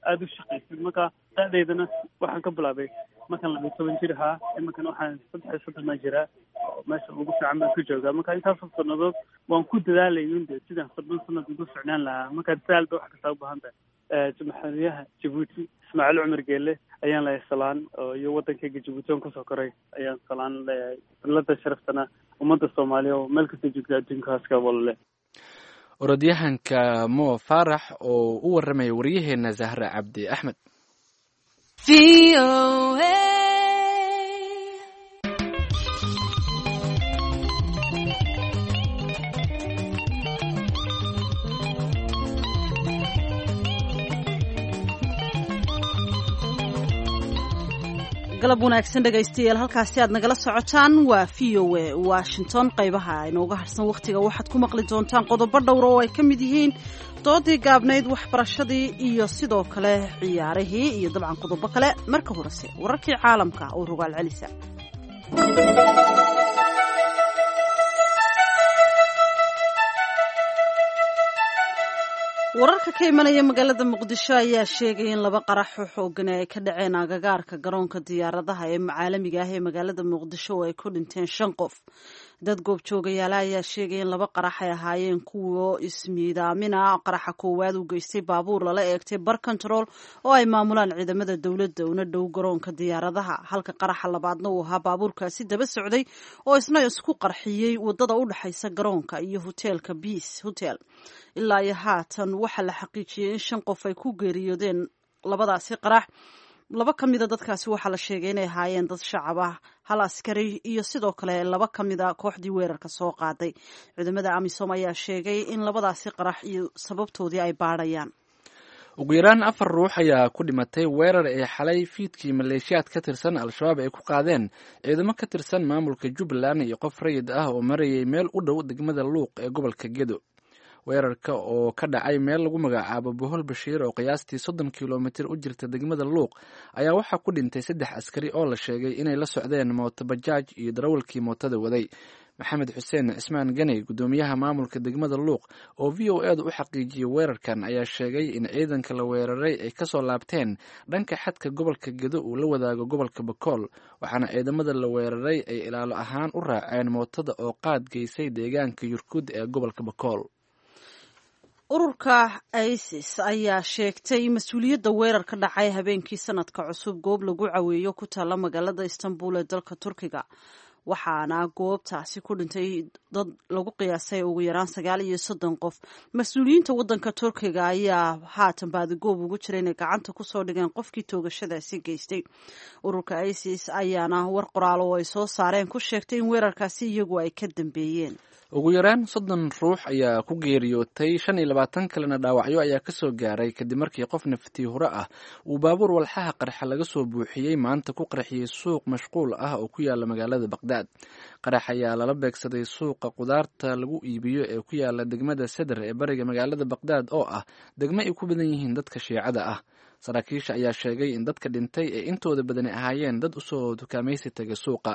aada u shaqaysid. Marka da-daydana waxaan ka bilaabay markaan 12 jir ahaa, iminkan waxaan 33 baan jiraa oo meesha ugu fiican baan ku joogaa. Marka intaasoo sanadood waan ku dadaalayun de sidaan 30 sanad ugu ficnaan lahaa. Marka dadaal bay wax kastaa u baahan tahay. Madaxweynaha Jabuuti Ismaaciil Cumar Geele ayaan leeyahay salaan, oo iyo wadankayga Jabuuti oon kusoo koray ayaan salaan leeyahay. Bilada sharaftana ummadda Soomaaliya oo meel kasta joogta adduunkaas ka walale. Orodyahanka Mo Faarax oo u warramaya waryaheena Zahra Cabdi Axmed. Galab wanaagsan dhegaystayaal, halkaasi aad nagala socotaan waa v o a Washington. Qaybaha inooga harsan wakhtiga waxaad ku maqli doontaan qodobo dhowra oo ay ka mid yihiin doodii gaabnayd, waxbarashadii iyo sidoo kale ciyaarihii iyo dabcan qodobo kale. Marka horese wararkii caalamka oo rogaal celisa. Wararka ka imanaya magaalada Muqdisho ayaa sheegaya in laba qarax oo xoogan ay ka dhaceen agagaarka garoonka diyaaradaha ee caalamiga ah ee magaalada Muqdisho oo ay ku dhinteen shan qof. Dad goobjoogayaala ayaa sheegaya in laba qarax ay ahaayeen kuwo ismiidaamina. Qaraxa koowaad uu geystay baabuur lala eegtay bar control oo ay maamulaan ciidamada dowladda una dhow garoonka diyaaradaha, halka qaraxa labaadna uu ahaa baabuurkaasi daba socday oo isna isku qarxiyey wadada u dhexaysa garoonka iyo hoteelka Peace Hotel. Ilaa iyo haatan waxaa la xaqiijiyey in shan qof ay ku geeriyoodeen Labadaasi qarax, laba ka mida dadkaasi waxaa la sheegay inay ahaayeen dad shacab ah, hal askari iyo sidoo kale laba ka mida kooxdii weerarka soo qaaday. Ciidamada AMISOM ayaa sheegay in labadaasi qarax iyo sababtoodii ay baadhayaan. Ugu yaraan afar ruux ayaa ku dhimatay weerar ay xalay fiidkii maleeshiyaad ka tirsan Al-Shabaab ay ku qaadeen ciidamo ka tirsan maamulka Jubbaland iyo qof rayid ah oo marayay meel u dhow degmada Luuq ee gobolka Gedo. Weerarka oo ka dhacay meel lagu magacaabo Bohol Bashiir oo qiyaastii 30 kilomitir u jirta degmada Luuq ayaa waxaa ku dhintay saddex askari oo la sheegay inay la socdeen mooto bajaaj iyo darawalkii mootada waday. Maxamed Xuseen Cismaan Ganey, guddoomiyaha maamulka degmada Luuq oo VOA da u xaqiijiyey weerarkan, ayaa sheegay in ciidanka la weeraray ay kasoo laabteen dhanka xadka gobolka Gedo uu la wadaago gobolka Bakool, waxaana ciidamada la weeraray ay ilaalo ahaan u raaceen mootada oo qaad geysay deegaanka Yurkud ee gobolka Bakool. Ururka ISIS ayaa sheegtay mas-uuliyadda weerar ka dhacay habeenkii sanadka cusub goob lagu caweeyo ku taalla magaalada Istanbul ee dalka Turkiga, waxaana goobtaasi ku dhintay dad lagu qiyaasay ugu yaraan 39 qof. Mas-uuliyiinta waddanka Turkiga ayaa haatan baadigoob ugu jira inay gacanta kusoo dhigeen qofkii toogashadaasi geystay. Ururka ISIS ayaana war qoraal oo ay soo saareen ku sheegtay in weerarkaasi iyagu ay ka dambeeyeen. Ugu yaraan 30 ruux ayaa ku geeriyootay, 25 kalena dhaawacyo ayaa kasoo gaaray kadib markii qof naftii hore ah uu baabuur walxaha qarxa laga soo buuxiyey maanta ku qarxiyey suuq mashquul ah oo ku yaala magaalada Baqdaad. Qarax ayaa lala beegsaday suuqa qudaarta lagu iibiyo ee ku yaala degmada Sadr ee bariga magaalada Baqdaad oo ah degmo ay ku badan yihiin dadka Shiicada ah. Saraakiisha ayaa sheegay in dadka dhintay ee intooda badani ahaayeen dad usoo dukaamaysi tagay suuqa.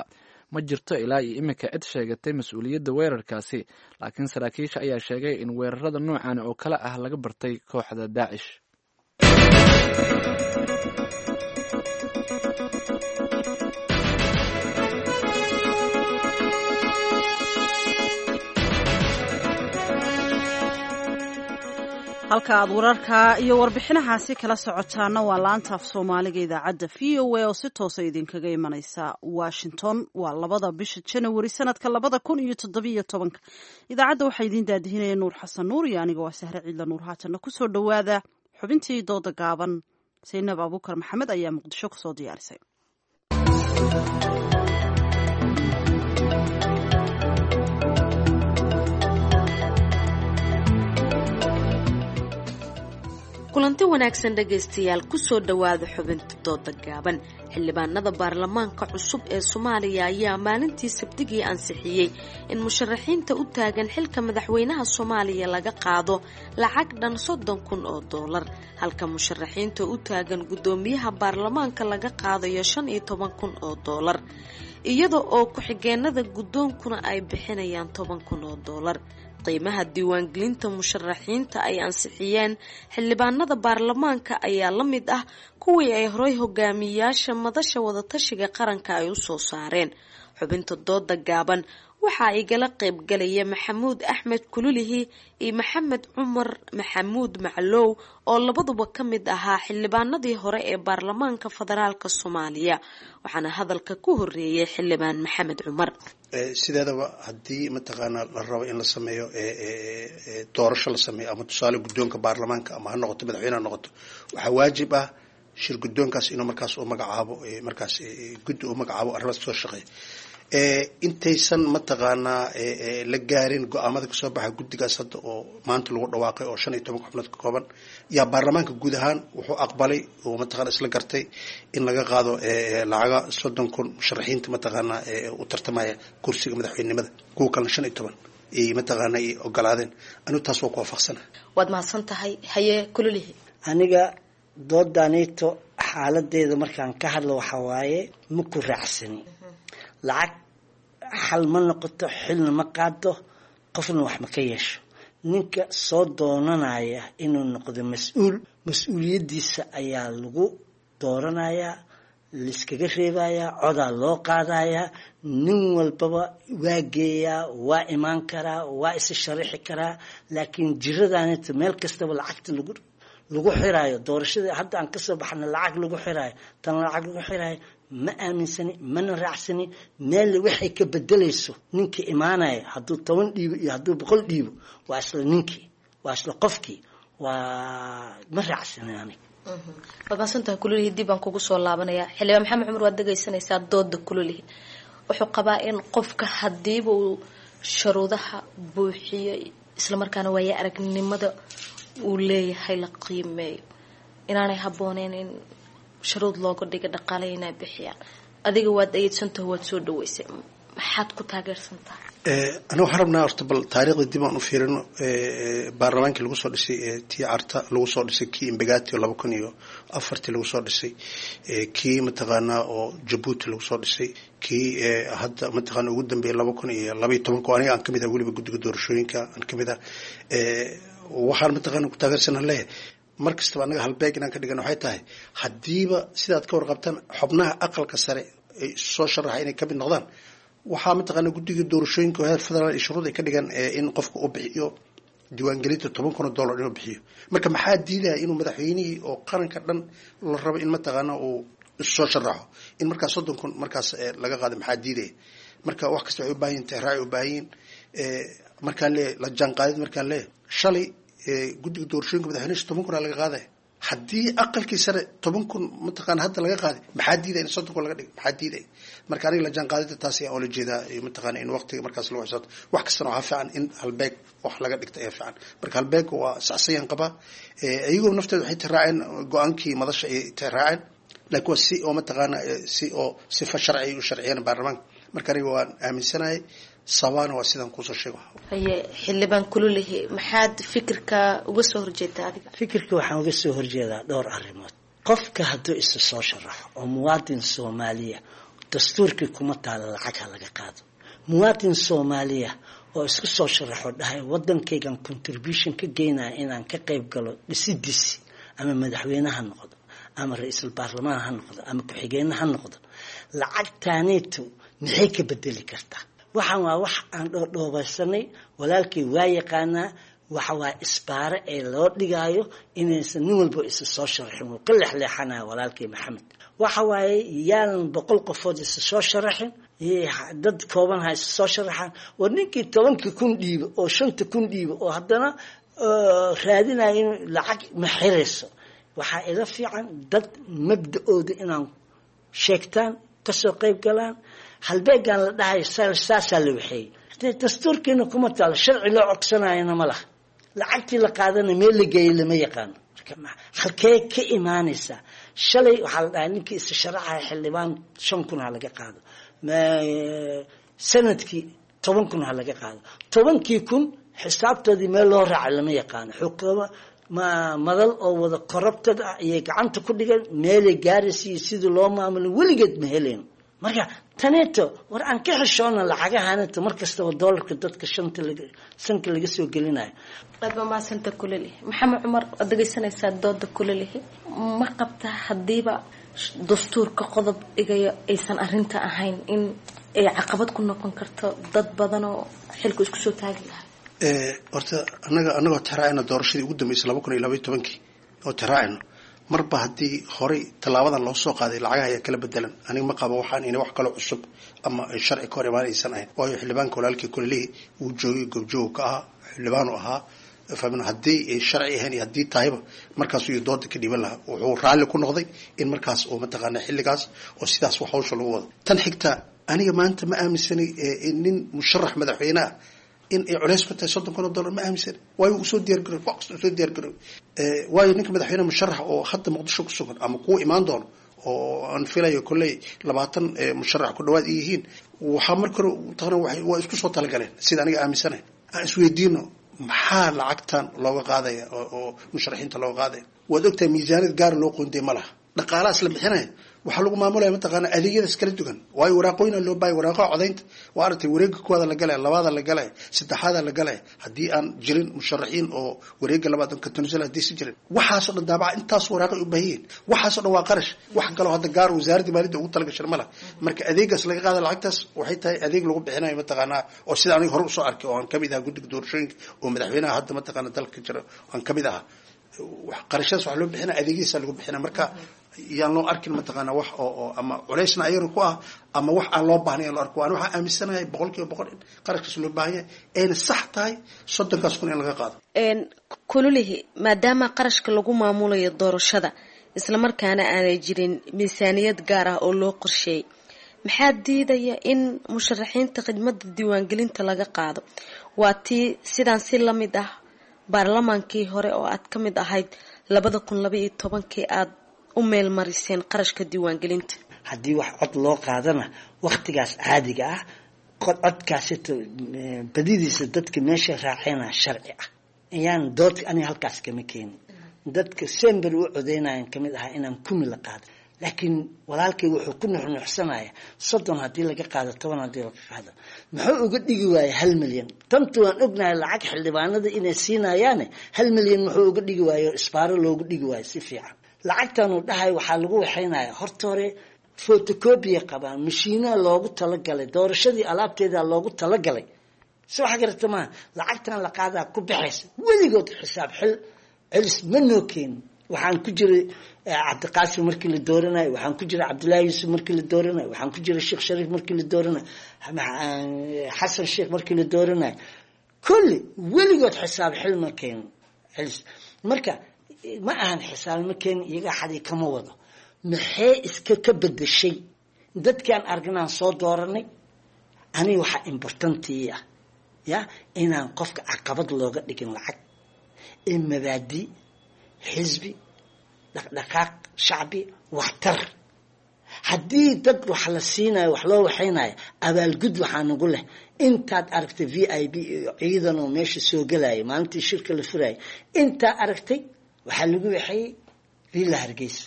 Ma jirto ilaa iyo iminka cid sheegatay mas-uuliyadda weerarkaasi, laakiin saraakiisha ayaa sheegay in weerarada noocan oo kale ah laga bartay kooxda Daacish. Halka aad wararka iyo warbixinahaasi kala socotaana waa laanta af Soomaaliga idaacadda VOA oo si toosa idinkaga imaneysa Washington. Waa 2da bisha Janawari sanadka 2017-ka. Idaacadda waxaa idiin daadihinaya Nuur Xasan Nuur iyo aniga waa Sahre Ciidla Nuur. Haatanna kusoo dhowaada xubintii dooda gaaban. Saynab Abuukar Maxamed ayaa Muqdisho kusoo diyaarisay. Kulanti wanaagsan dhegaystayaal, kusoo dhowaada xubinta dooda gaaban. Xildhibaanada baarlamaanka cusub ee Soomaaliya ayaa maalintii Sabtigii ansixiyey in musharaxiinta u taagan xilka madaxweynaha Soomaaliya laga qaado lacag dhan $30,000, halka musharaxiinta u taagan guddoomiyaha baarlamaanka laga qaadayo $15,000, iyada oo ku-xigeenada guddoonkuna ay bixinayaan $10,000. Qiimaha diiwaangelinta musharaxiinta ay ansixiyeen xildhibaanada baarlamaanka ayaa la mid ah kuwii ay horay hogaamiyayaasha madasha wadatashiga qaranka ay usoo saareen. Xubinta dooda gaaban waxaa igala qaybgalaya Maxamuud Axmed Kululihi iyo Maxamed Cumar Maxamuud Maclow oo labaduba ka mid ahaa xildhibaanadii hore ee baarlamaanka federaalk Soomaaliya, waxaana hadalka ku horeeyay xildhibaan Maxamed Cumar. Sideedaba haddii mataqaanaa la rabo in la sameeyo doorasho la sameeyo, ama tusaale guddoonka baarlamaanka ama ha noqoto madaxweyne ha noqoto, waxaa waajib ah shir guddoonkaas inuu markaas u magacaabo, markaas guddi u magacaabo arrimaas kasoo shaqeeya. Intaysan mataqaanaa la gaarin go-aamada kasoo baxa guddigaas hadda oo maanta lagu dhawaaqay oo 15 xubnood ka kooban, yaa baarlamaanka guud ahaan wuxuu aqbalay oo mataqana isla gartay in laga qaado lacaga 30,000 musharaxiinta mataqaanaa u tartamaya kursiga madaxweynenimada, kuwa kalena 15 ay mataqaana ay ogolaadeen. Anigu taas waa ku waafaqsana. Waad mahadsan tahay. Haye Kululihi. Aniga doodaanito xaaladeeda markaan ka hadlo waxaa waaye ma ku raacsani. Lacag xal ma noqoto, xilna ma qaado, qofna wax ma ka yeesho. Ninka soo doonanaya inuu noqdo mas-uul, mas-uuliyaddiisa ayaa lagu dooranayaa, laiskaga reebayaa, codaa loo qaadayaa. Nin walbaba waa geeyaa, waa imaan karaa, waa isa sharaxi karaa, laakiin jiradaanita meel kastaba lacagta lagu xiraayo, doorashadii hadda aan kasoo baxna lacag lagu xiraayo, tan lacag lagu xiraayo, ma aaminsani mana raacsani. Meel waxay ka bedelayso ninkii imaanaya hadduu 10 dhiibo iyo hadduu 100 dhiibo, waa isla ninkii, waa isla qofkii, waa ma raacsani aniga. Waad mahadsantahay Kululihi, dib baan kugu soo laabanayaa. Xildhibaan Maxamed Cumar, waad dhegaysanaysaa dooda Kululihi. Wuxuu qabaa in qofka hadiiba uu shuruudaha buuxiyo, islamarkaana waaya aragnimada uu leeyahay la qiimeeyo, inaanay habbooneyn in shuruud looga dhiga dhaqaale inay bixiyaan. Adiga waad ayeedsantaho, waad soo dhaweysay, maxaad ku taageersantahay? Aniga waxaan rabnaa horta bal taariikhda dib aan u fiirino. Baarlamaankii lagu soo dhisay tii Carta lagu soo dhisay, kii Imbagati oo 2004-tii lagu soo dhisay, kii mataqaanaa oo Jabuuti lagu soo dhisay, kii hadda mataqaana ugu dambeeyay 2012-ka oo aniga aan kamid ah weliba guddiga doorashooyinka aan kamid ah, waxaan mataqaana ku taageersanaan leeyahay mar kastaba annaga halbeeg inaan ka dhigan waxay tahay haddiiba sidaad ka warqabtaan xubnaha aqalka sare ay soo sharaxa inay kamid noqdaan, waxaa mataqaana guddiga doorashooyinka oo heer federaal iyo shuruud ay ka dhigan in qofka uu bixiyo diiwaangelinta $10,000 inuu bixiyo. Marka maxaa diidaya inuu madaxweynihii oo qaranka dhan la rabo in mataqaana uu soo sharaxo in markaas 30,000 markaas laga qaado? Maxaa diidaya? Marka wax kasta waxay u baahan yihin tixraac u baahan yihin. Markaan leeyahay la jaanqaadid, markaan leeyahay shalay guddiga doorashooyinka madaxweynaha 10,000 aa laga qaadaya, haddii aqalkii sare 10,000 mataqaana hadda laga qaaday, maxaa diidaya in 30,000 laga dhigo? Maxaa diidaya? Marka aniga la jaanqaadida taas ayaan oola jeedaa, mataqaana in waqtiga markaas lagu xisaabto. Wax kastana waxaa fiican in halbeeg wax laga dhigta ayaa fiican. Marka halbeeg waa saxsayaan qabaa, iyagoo nafteeda waxay tiraaceen go-aankii madasha ay tiraaceen, laakiin waa si oo mataqaana si oo sifa sharci ay u sharciyeen baarlamaanka. Marka aniga waan aaminsanahay, sabaana waa sidaan kuusoo sheego. Haye xildhibaan Kululihi, maxaad fikirka uga soo horjeedaa adiga? Fikirka waxaan uga soo horjeedaa dhowr arrimood. Qofka hadduu isa soo sharaxo oo muwaadin Soomaaliya, dastuurkii kuma taala lacag ha laga qaado. Muwaadin Soomaaliya oo isku soo sharaxo dhahay waddankaygan contribution ka geynaya inaan ka qayb galo dhisidiisi, ama madaxweyne ha noqdo ama ra-iisul baarlamaan ha noqdo ama ku-xigeenne ha noqdo, lacagtaaniitu maxay ka bedeli kartaa? Waxaan waa wax aan dhoodhoobaysanay. Walaalkay waa yaqaanaa, waxa waa isbaare ee loo dhigaayo inaysan nin walba isa soo sharaxin. Wuu ka leexleexanaya walaalkay Maxamed. Waxa waaye yaanan 100 qofood isa soo sharaxin, dad kooban ha isa soo sharaxaan. War ninkii 10,000 dhiibo oo 5,000 dhiibo oo haddana raadinaya in lacag ma xirayso. Waxaa ila fiican dad mabda-ooda inaan sheegtaan, kasoo qayb galaan. Halbeegaan la dhahayo saasaa la waxeeyey, dastuurkiina kuma taalo, sharci loo codsanayana ma laha. Lacagtii la qaadana meel la geeyey lama yaqaano. Marka halkee ka imaanaysaa? Shalay waxaa la dhahay ninkii isa sharaxaya xildhibaan 5,000 ha laga qaado, sanadkii 10,000 ha laga qaado. 10,000 xisaabtoodii meel loo raacay lama yaqaano. Xukuuma ma madal oo wada corrupted ah ayay gacanta ku dhigeen, meelay gaaraysa iyo sidii loo maamulin weligeed ma helayn. Marka taneeto war aan ka xishoona lacagahanito mar kastaba doolarka dadka shanta laga sanka laga soo gelinayo. Aad baa mahadsanta Kulalihi. Maxamed Cumar, waad dhegaysanaysaa dooda Kulalihi. Ma qabtaa haddiiba dastuurka qodob dhigayo aysan arrinta ahayn in ay caqabad ku noqon karto dad badan oo xilku isku soo taagi lahaa? Horta anaga anagoo tixraacayna doorashadii ugu dambeysay 2012-kii oo tixraacayno, marba haddii horey tallaabadan loo soo qaaday lacagaha ayaa kala bedelan. Aniga ma qabo waxaan ina wax kaloo cusub ama ay sharci ka hor imaan aysan ahayn, waayo xildhibaanka walaalkii Kulelihii wuu joogay, goobjoog ka ahaa, xildhibaanu ahaa fahmin. Haddii ay sharci ahayn iyo haddii tahayba markaasuu iyo dooda ka dhiiban lahaa. Wuxuu raalli ku noqday in markaas oo mataqaana xilligaas oo sidaas wax hawsha lagu wado. Tan xigta, aniga maanta ma aaminsanay nin musharax madaxweyne ah in ay culays ku tahay $30,000, ma aaminsan, waayo uu soo diyaar garoy, wax kasta uu soo diyaar garoy. Waayo ninka madaxweyne musharax oo hadda Muqdisho ku sugan ama kuwa imaan doono oo aan filayo kolley 20 musharax ku dhawaad ay yihiin, waxaa marka hore taqna waa isku soo talagaleen. Sida aniga aaminsanahay, aan isweydiino maxaa lacagtan looga qaadaya oo musharaxiinta looga qaadaya. Waad ogtahay miisaaniyad gaar loo qoondey ma laha. Dhaqaalahaas la bixinaya waxaa lagu maamulaya mataqaana adeegyadaas kala duwan, waayo waraaqooyina loo baayay, waraaqaha codaynta waa aragtay, wareegga kuwaada la galaya, labaada la galaya, saddexaada la galaya. Haddii aan jirin musharaxiin oo wareegga labaad ka tanasula haddii si jirin, waxaasoo dhan daabaca intaas waraaqay u baahan yihiin, waxaasoo dhan waa qarash. Wax kaloo hadda gaar wasaaradda maaliyadda ugu talagashan ma laha. Marka adeegaas laga qaada lacagtaas waxay tahay adeeg lagu bixinayo mataqaanaa oo sida aniga hore usoo arkay oo aan kamid ahaa guddiga doorashooyinka oo madaxweynaha hadda mataqaana dalka jira aan kamid ahaa, qarashadaas wax loo bixina adeegyadiisa lagu bixina. Marka yaan loo arkin mataqaana wax oo ama culaysna ayagana ku ah ama wax aan loo baahnayn aan loo arko. Ani waxaan aaminsanahay 100% in qarashkaas loo baahan yahay ayna sax tahay 30,000 in laga qaado. Kululihi, maadaama qarashka lagu maamulayo doorashada islamarkaana aanay jirin miisaaniyad gaar ah oo loo qorsheeyay. Maxaa diidaya in musharaxiinta khidmadda diiwaangelinta laga qaado? Waa tii sidaan si la mid ah baarlamaankii hore oo aad ka mid ahayd 2012-kii aada u meelmariseen qarashka diiwaangelinta. Haddii wax cod loo qaadana waktigaas caadiga ah codkaasito badidiisa dadka meesha raacayna sharci ah ayaan dood aniga halkaas kama keenin. Dadka sember u codeynayan kamid ahaa inaan kumi la qaado, laakiin walaalkay wuxuu ku nuxnuxsanaya 30 haddii laga qaado, 10 haddii laga qaado, muxuu uga dhigi waayay 1 milyan? Tantu waan ognahay lacag xildhibaanada inay siinayaane, 1 milyan muxuu uga dhigi waayo, isbaaro loogu dhigi waayo si fiican? Lacagtanuu dhahay waxaa lagu waxaynaya horta hore photocopy qabaan, mashiinaa loogu talagalay doorashadii, alaabteeda loogu talagalay. Si waxa garata maaha, lacagtan la qaadaa ku baxaysa weligood xisaab xil celis ma noo keenin. Waxaan ku jiray Cabdiqaasim markii la dooranayo, waxaan ku jiray Cabdullaahi Yuusuf markii la dooranayo, waxaan ku jiray Sheekh Shariif markii la dooranayo, Xasan Sheekh markii la dooranayo, kulli weligood xisaab xil ma keenin celis. Marka ma ahan xisaab ma keenin, iyaga xadii kama wado. Maxay iska ka bedeshay dadkaan aragnaan soo dooranay? Aniga waxaa important ii ah ya inaan qofka caqabad looga dhigin lacag ee mabaadi, xisbi, dhaqdhaqaaq shacbi, waxtar. Haddii dad wax la siinayo, wax loo waxaynayo, abaalgud waxaa nagu leh intaad aragtay VIP iyo ciidan oo meesha soo gelaya maalintii shirka la furayay. Intaa aragtay waxaa lagu waxeeyey Villa Hargeysa.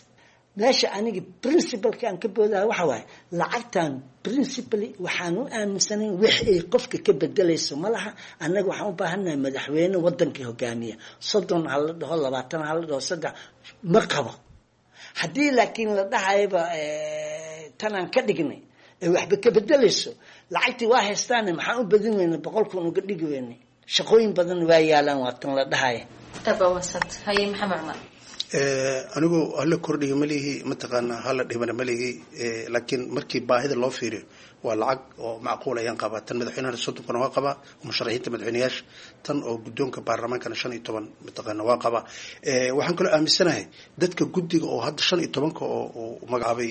Meesha aniga principalka aan ka boodaha waxa waaye lacagtan principally waxaan u aaminsanayn wax ay qofka ka bedelayso ma laha. Annaga waxaan u baahannahay madaxweyne wadanka hogaamiya. 30 ha la dhaho, 20 ha la dhaho, 3 ma qabo. Haddii laakiin la dhahayaba tanaan ka dhignay ee waxba ka bedelayso, lacagtii waa haystaane, maxaan u badin weyna, 100,000 uga dhigi weynay? Shaqooyin badan waa yaalaan, waa tan la dhahaya. Haye, Maxamed Cumar. Anigu hala kordhiyo ma lihi, mataqaanaa hala dhimana ma lihi, laakiin markii baahida loo fiiriyo waa lacag oo macquul ayaan qabaa. Tan madaxweynahana 30-kuna waa qabaa, musharaxiinta madaxweyneyaasha, tan oo guddoonka baarlamaankana 15 mataqaana waa qabaa. Waxaan kaloo aaminsanahay dadka guddiga oo hadda 15-ka oo uu magacaabay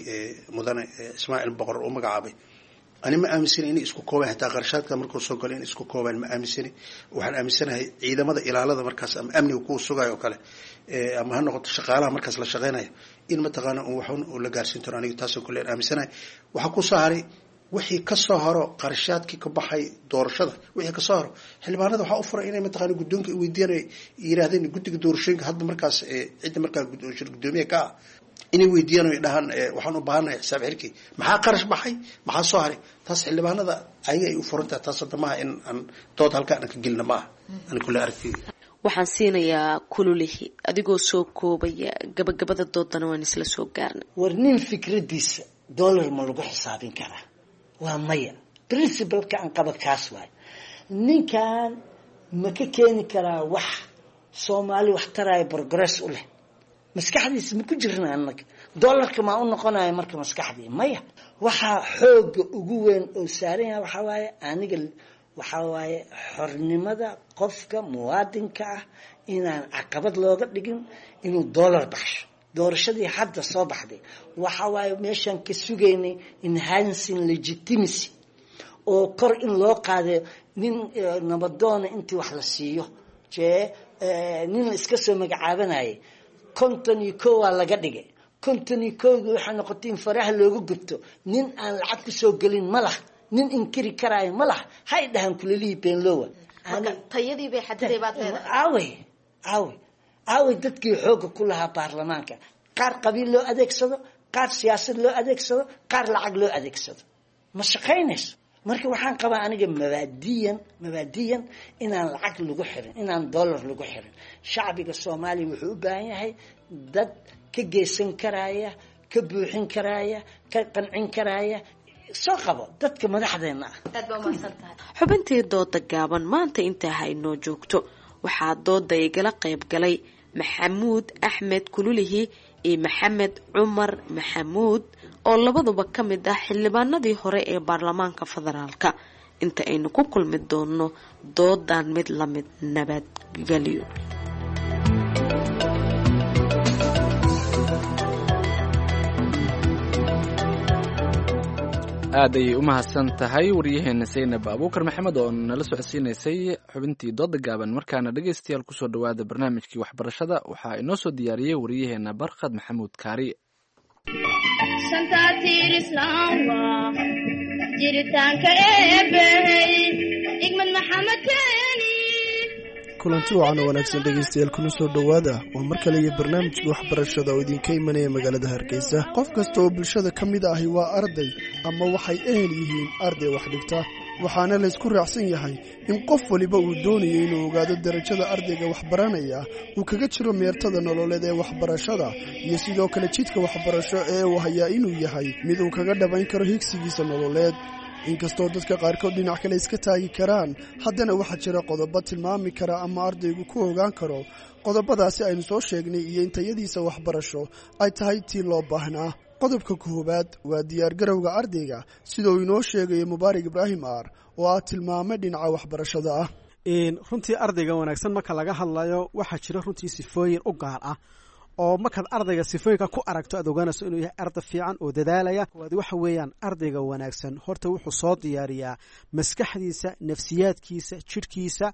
mudane Ismaaciil Boqor uu magacaabay, ani ma aaminsani inay isku koobaan xitaa qarashaadka markuu soo galo inay isku koobaan ma aaminsani. Waxaan aaminsanahay ciidamada ilaalada markaas ama amniga kuwa sugayo oo kale, ama ha noqoto shaqaalaha markaas la shaqeynayo, in mataqaana un waxun uu la gaarsiin doono. Aniga taasoo kale aan aaminsanahay. Waxaa ku soo haray wixii kasoo horo qarashaadkii ka baxay doorashada, wixii kasoo horo xildhibaanada waxaa u furay inay mataqaana guddoonka weydiiyaan, ay yiraahdeen guddiga doorashooyinka hadda markaas cidda markaa shir guddoomiye ka ah inay weydiiyaan oo dhahaan waxaan u baahanahay xisaab xirkii, maxaa qarash baxay, maxaa soo haray. Taas xildhibaanada ayaga ay u furan tahay. Taas hadda maaha in aan dood halka aan ka gelina maaha, ani kule aragtiyda. Waxaan siinayaa Kululihi, adigoo soo koobaya gabagabada doodana waan isla soo gaarnay. War nin fikradiisa dollar ma lagu xisaabin karaa? Waa maya. Principalka aan qaba kaas waay. Ninkan ma ka keeni karaa wax Soomaali wax taraya, progress u leh? Maskaxdiisa ma ku jirna annaga dollarka maa u noqonaya marka maskaxdii? Maya. Waxaa xooga ugu weyn oo saaran yahay waxaa waaye, aniga waxaa waaye xornimada qofka muwaadinka ah inaan caqabad looga dhigin inuu dollar baxsho. Doorashadii hadda soo baxday waxa waaye meeshaan ka sugaynay enhancing legitimacy oo kor in loo qaadayo nin nabadoona intii wax la siiyo jee nin la iska soo magacaabanayay 51 waa laga dhigay. 51-gii waxay noqotay in faraha looga gubto. Nin aan lacag kusoo gelin ma laha, nin inkiri karaayo ma laha, hay dhahan Kulelihii beenlowa. Tayadii bay xadiday baad leedahay. Aawey, aawey, aawey dadkii xoogga ku lahaa baarlamaanka? Qaar qabiil loo adeegsado, qaar siyaasad loo adeegsado, qaar lacag loo adeegsado, ma shaqaynayso. Marka waxaan qabaa aniga mabaadiyan inaan lacag lagu xirin, inaan dollar lagu xirin. Shacbiga Soomaaliya wuxuu u baahan yahay dad ka geysan karaya, ka buuxin karaya, ka qancin karaya, soo qabo dadka madaxdeena ah. Aad baa umahadsan tahay. Xubintii dooda gaaban maanta intaa ha inoo joogto. Waxaa dooda igala qayb galay Maxamuud Axmed Kululihi iyo Maxamed Cumar Maxamuud oo labaduba ka mid ah xildhibaanadii hore ee baarlamaanka federaalka. Inta aynu ku kulmi doono doodan mid lamid, nabadgelyo. Aad ayay u mahadsan tahay waryaheena Saynab Abuukar Maxamed oo nala socodsiinaysay xubintii dooda gaaban. Markaana dhegaystayaal, kusoo dhowaada barnaamijkii waxbarashada. Waxaa inoo soo diyaariyey waryaheena Barkhad Maxamuud Kaari. Shanta tiir islaam waa jiritaanka Eebbey Igmad Maxamed Keeni. Kulanti wacan oo wanaagsan dhegaystayaal, kuna soo dhowaada waa mar kale iyo barnaamijka waxbarashada oo idinka imanaya magaalada Hargeysa. Qof kasta oo bulshada ka mid ahi waa arday ama waxay ehel yihiin arday wax dhigta, waxaana laysku raacsan yahay in qof waliba uu doonayo inuu ogaado darajada ardayga waxbaranaya uu kaga jiro meertada nololeed ee waxbarashada, iyo sidoo kale jidka waxbarasho ee uu hayaa inuu yahay mid uu kaga dhabayn karo higsigiisa nololeed. Inkastoo dadka qaarkood dhinac kale iska taagi karaan, haddana waxaa jira qodobo tilmaami kara ama ardaygu ku ogaan karo qodobadaasi aynu soo sheegnay iyo in tayadiisa waxbarasho ay tahay tii loo baahnaa. Qodobka koowaad waa diyaargarowga ardayga, sida uu inoo sheegayo Mubaarak Ibraahim Aar oo ah tilmaame dhinaca waxbarashada ah. Runtii ardayga wanaagsan marka laga hadlayo, waxaa jira runtii sifooyin u gaar ah oo markaad ardayga sifooyinka ku aragto aad ogaanayso inuu yahay arday fiican oo dadaalaya. Koowaad waxa weeyaan, ardayga wanaagsan horta wuxuu soo diyaariyaa maskaxdiisa, nafsiyaadkiisa, jidhkiisa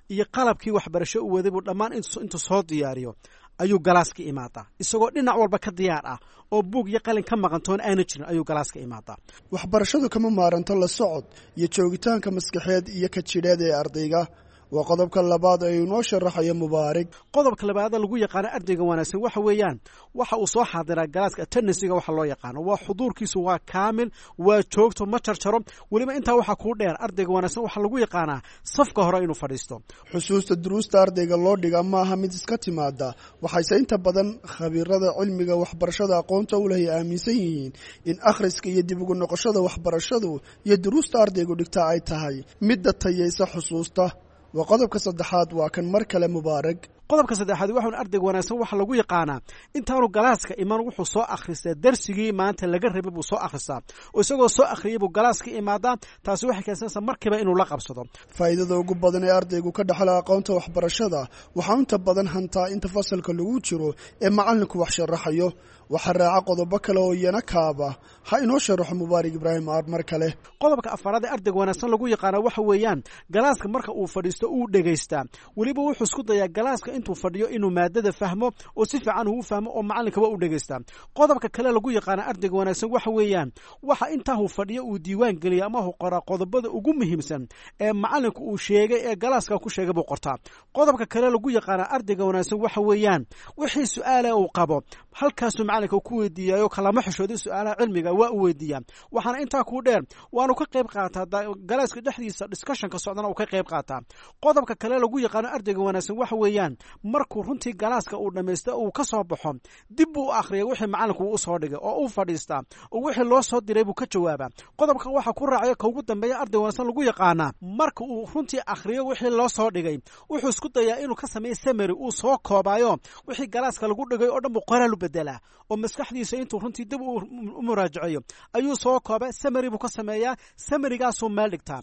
iyo qalabkii waxbarasho u waday buu dhammaan intuu soo diyaariyo ayuu galaaska imaadaa, isagoo dhinac walba ka diyaar ah oo buug iyo qalin ka maqantoon aana jirin ayuu galaaska imaadaa. Waxbarashadu kama maaranto la socod iyo joogitaanka maskaxeed iyo ka jidheed ee ardayga. Waa qodobka labaad ee inoo sharaxayo Mubaarig. Qodobka labaad lagu yaqaano ardayga wanaagsan waxa weeyaan, waxa uu soo xaadiraa galaaska, attendancyga waxa loo yaqaano, waa xuduurkiisu waa kaamil, waa joogto, ma jarjaro. Weliba intaa waxaa kuu dheer, ardayga wanaagsan waxaa lagu yaqaanaa safka hore inuu fadhiisto. Xusuusta duruusta ardayga loo dhigaa ma aha mid iska timaada, waxayse inta badan khabiirada cilmiga waxbarashada aqoonta u leh ay aaminsan yihiin in akhriska iyo dib ugu noqoshada waxbarashadu iyo duruusta ardaygu dhigtaa ay tahay midda tayaysa xusuusta. Waa qodobka saddexaad, waa kan mar kale Mubaarak. Qodobka saddexaad waxaun ardayga wanaagsan waxa lagu yaqaanaa intaanu galaaska iman wuxuu soo akhristaa darsigii maanta laga rabay buu soo akhristaa, oo isagoo soo akhriyay buu galaaska imaadaa. Taasi waxay keensanaysaa markiiba inuu la qabsado. Faa'iidada ugu badan ee ardaygu ka dhaxla aqoonta waxbarashada waxaa inta badan hantaa inta fasalka lagu jiro ee macallinku wax sharaxayo. Waxaa raaca qodobo kale oo iyana kaaba. Ha inoo sharaxo Mubaarak Ibraahim Aar mar kale. Qodobka afaraad ee ardayga wanaagsan lagu yaqaana waxa weeyaan, galaaska marka uu fadhiisto uu dhegaystaa. Weliba wuxuu isku dayaa galaaska intuu fadhiyo inuu maadada fahmo oo si fiican uu fahmo, oo macallinka waa u dhegaystaa. Qodobka kale lagu yaqaana ardayga wanaagsan waxa weeyaan, waxa intaa uu fadhiyo uu diiwaan geliya ama uu qoraa qodobada ugu muhiimsan ee macallinku uu sheegay ee galaaska ku sheegay buu qortaa. Qodobka kale lagu yaqaana ardayga wanaagsan waxa weeyaan, wixii su-aala uu qabo halkaasuu macallinka ku weydiiyayo, kalama xishooday, su-aalaha cilmiga waa u weydiiyaa. Waxaana intaa kuu dheer, waanu ka qayb qaataa galaaska dhexdiisa discussionka socdana uu ka qayb qaataa. Qodobka kale lagu yaqaano ardayga wanaagsan waxa weeyaan, markuu runtii galaaska uu dhammaysto uu ka soo baxo, dib buu u akhriya wixii macallinku uu usoo dhigay oo uu fadhiistaa oo wixii loo soo diray buu ka jawaabaa. Qodobka waxaa ku raacaya ka ugu dambeeya arday wanaagsan lagu yaqaanaa, marka uu runtii akhriyo wixii loo soo dhigay, wuxuu isku dayaa inuu ka sameeyo summary, uu soo koobaayo wixii galaaska lagu dhigay oo dhan buu qoraal u bedelaa, oo maskaxdiisa intuu runtii dib u muraajaceeyo ayuu soo koobaa, summary buu ka sameeyaa, summarygaasuu meel dhigtaa,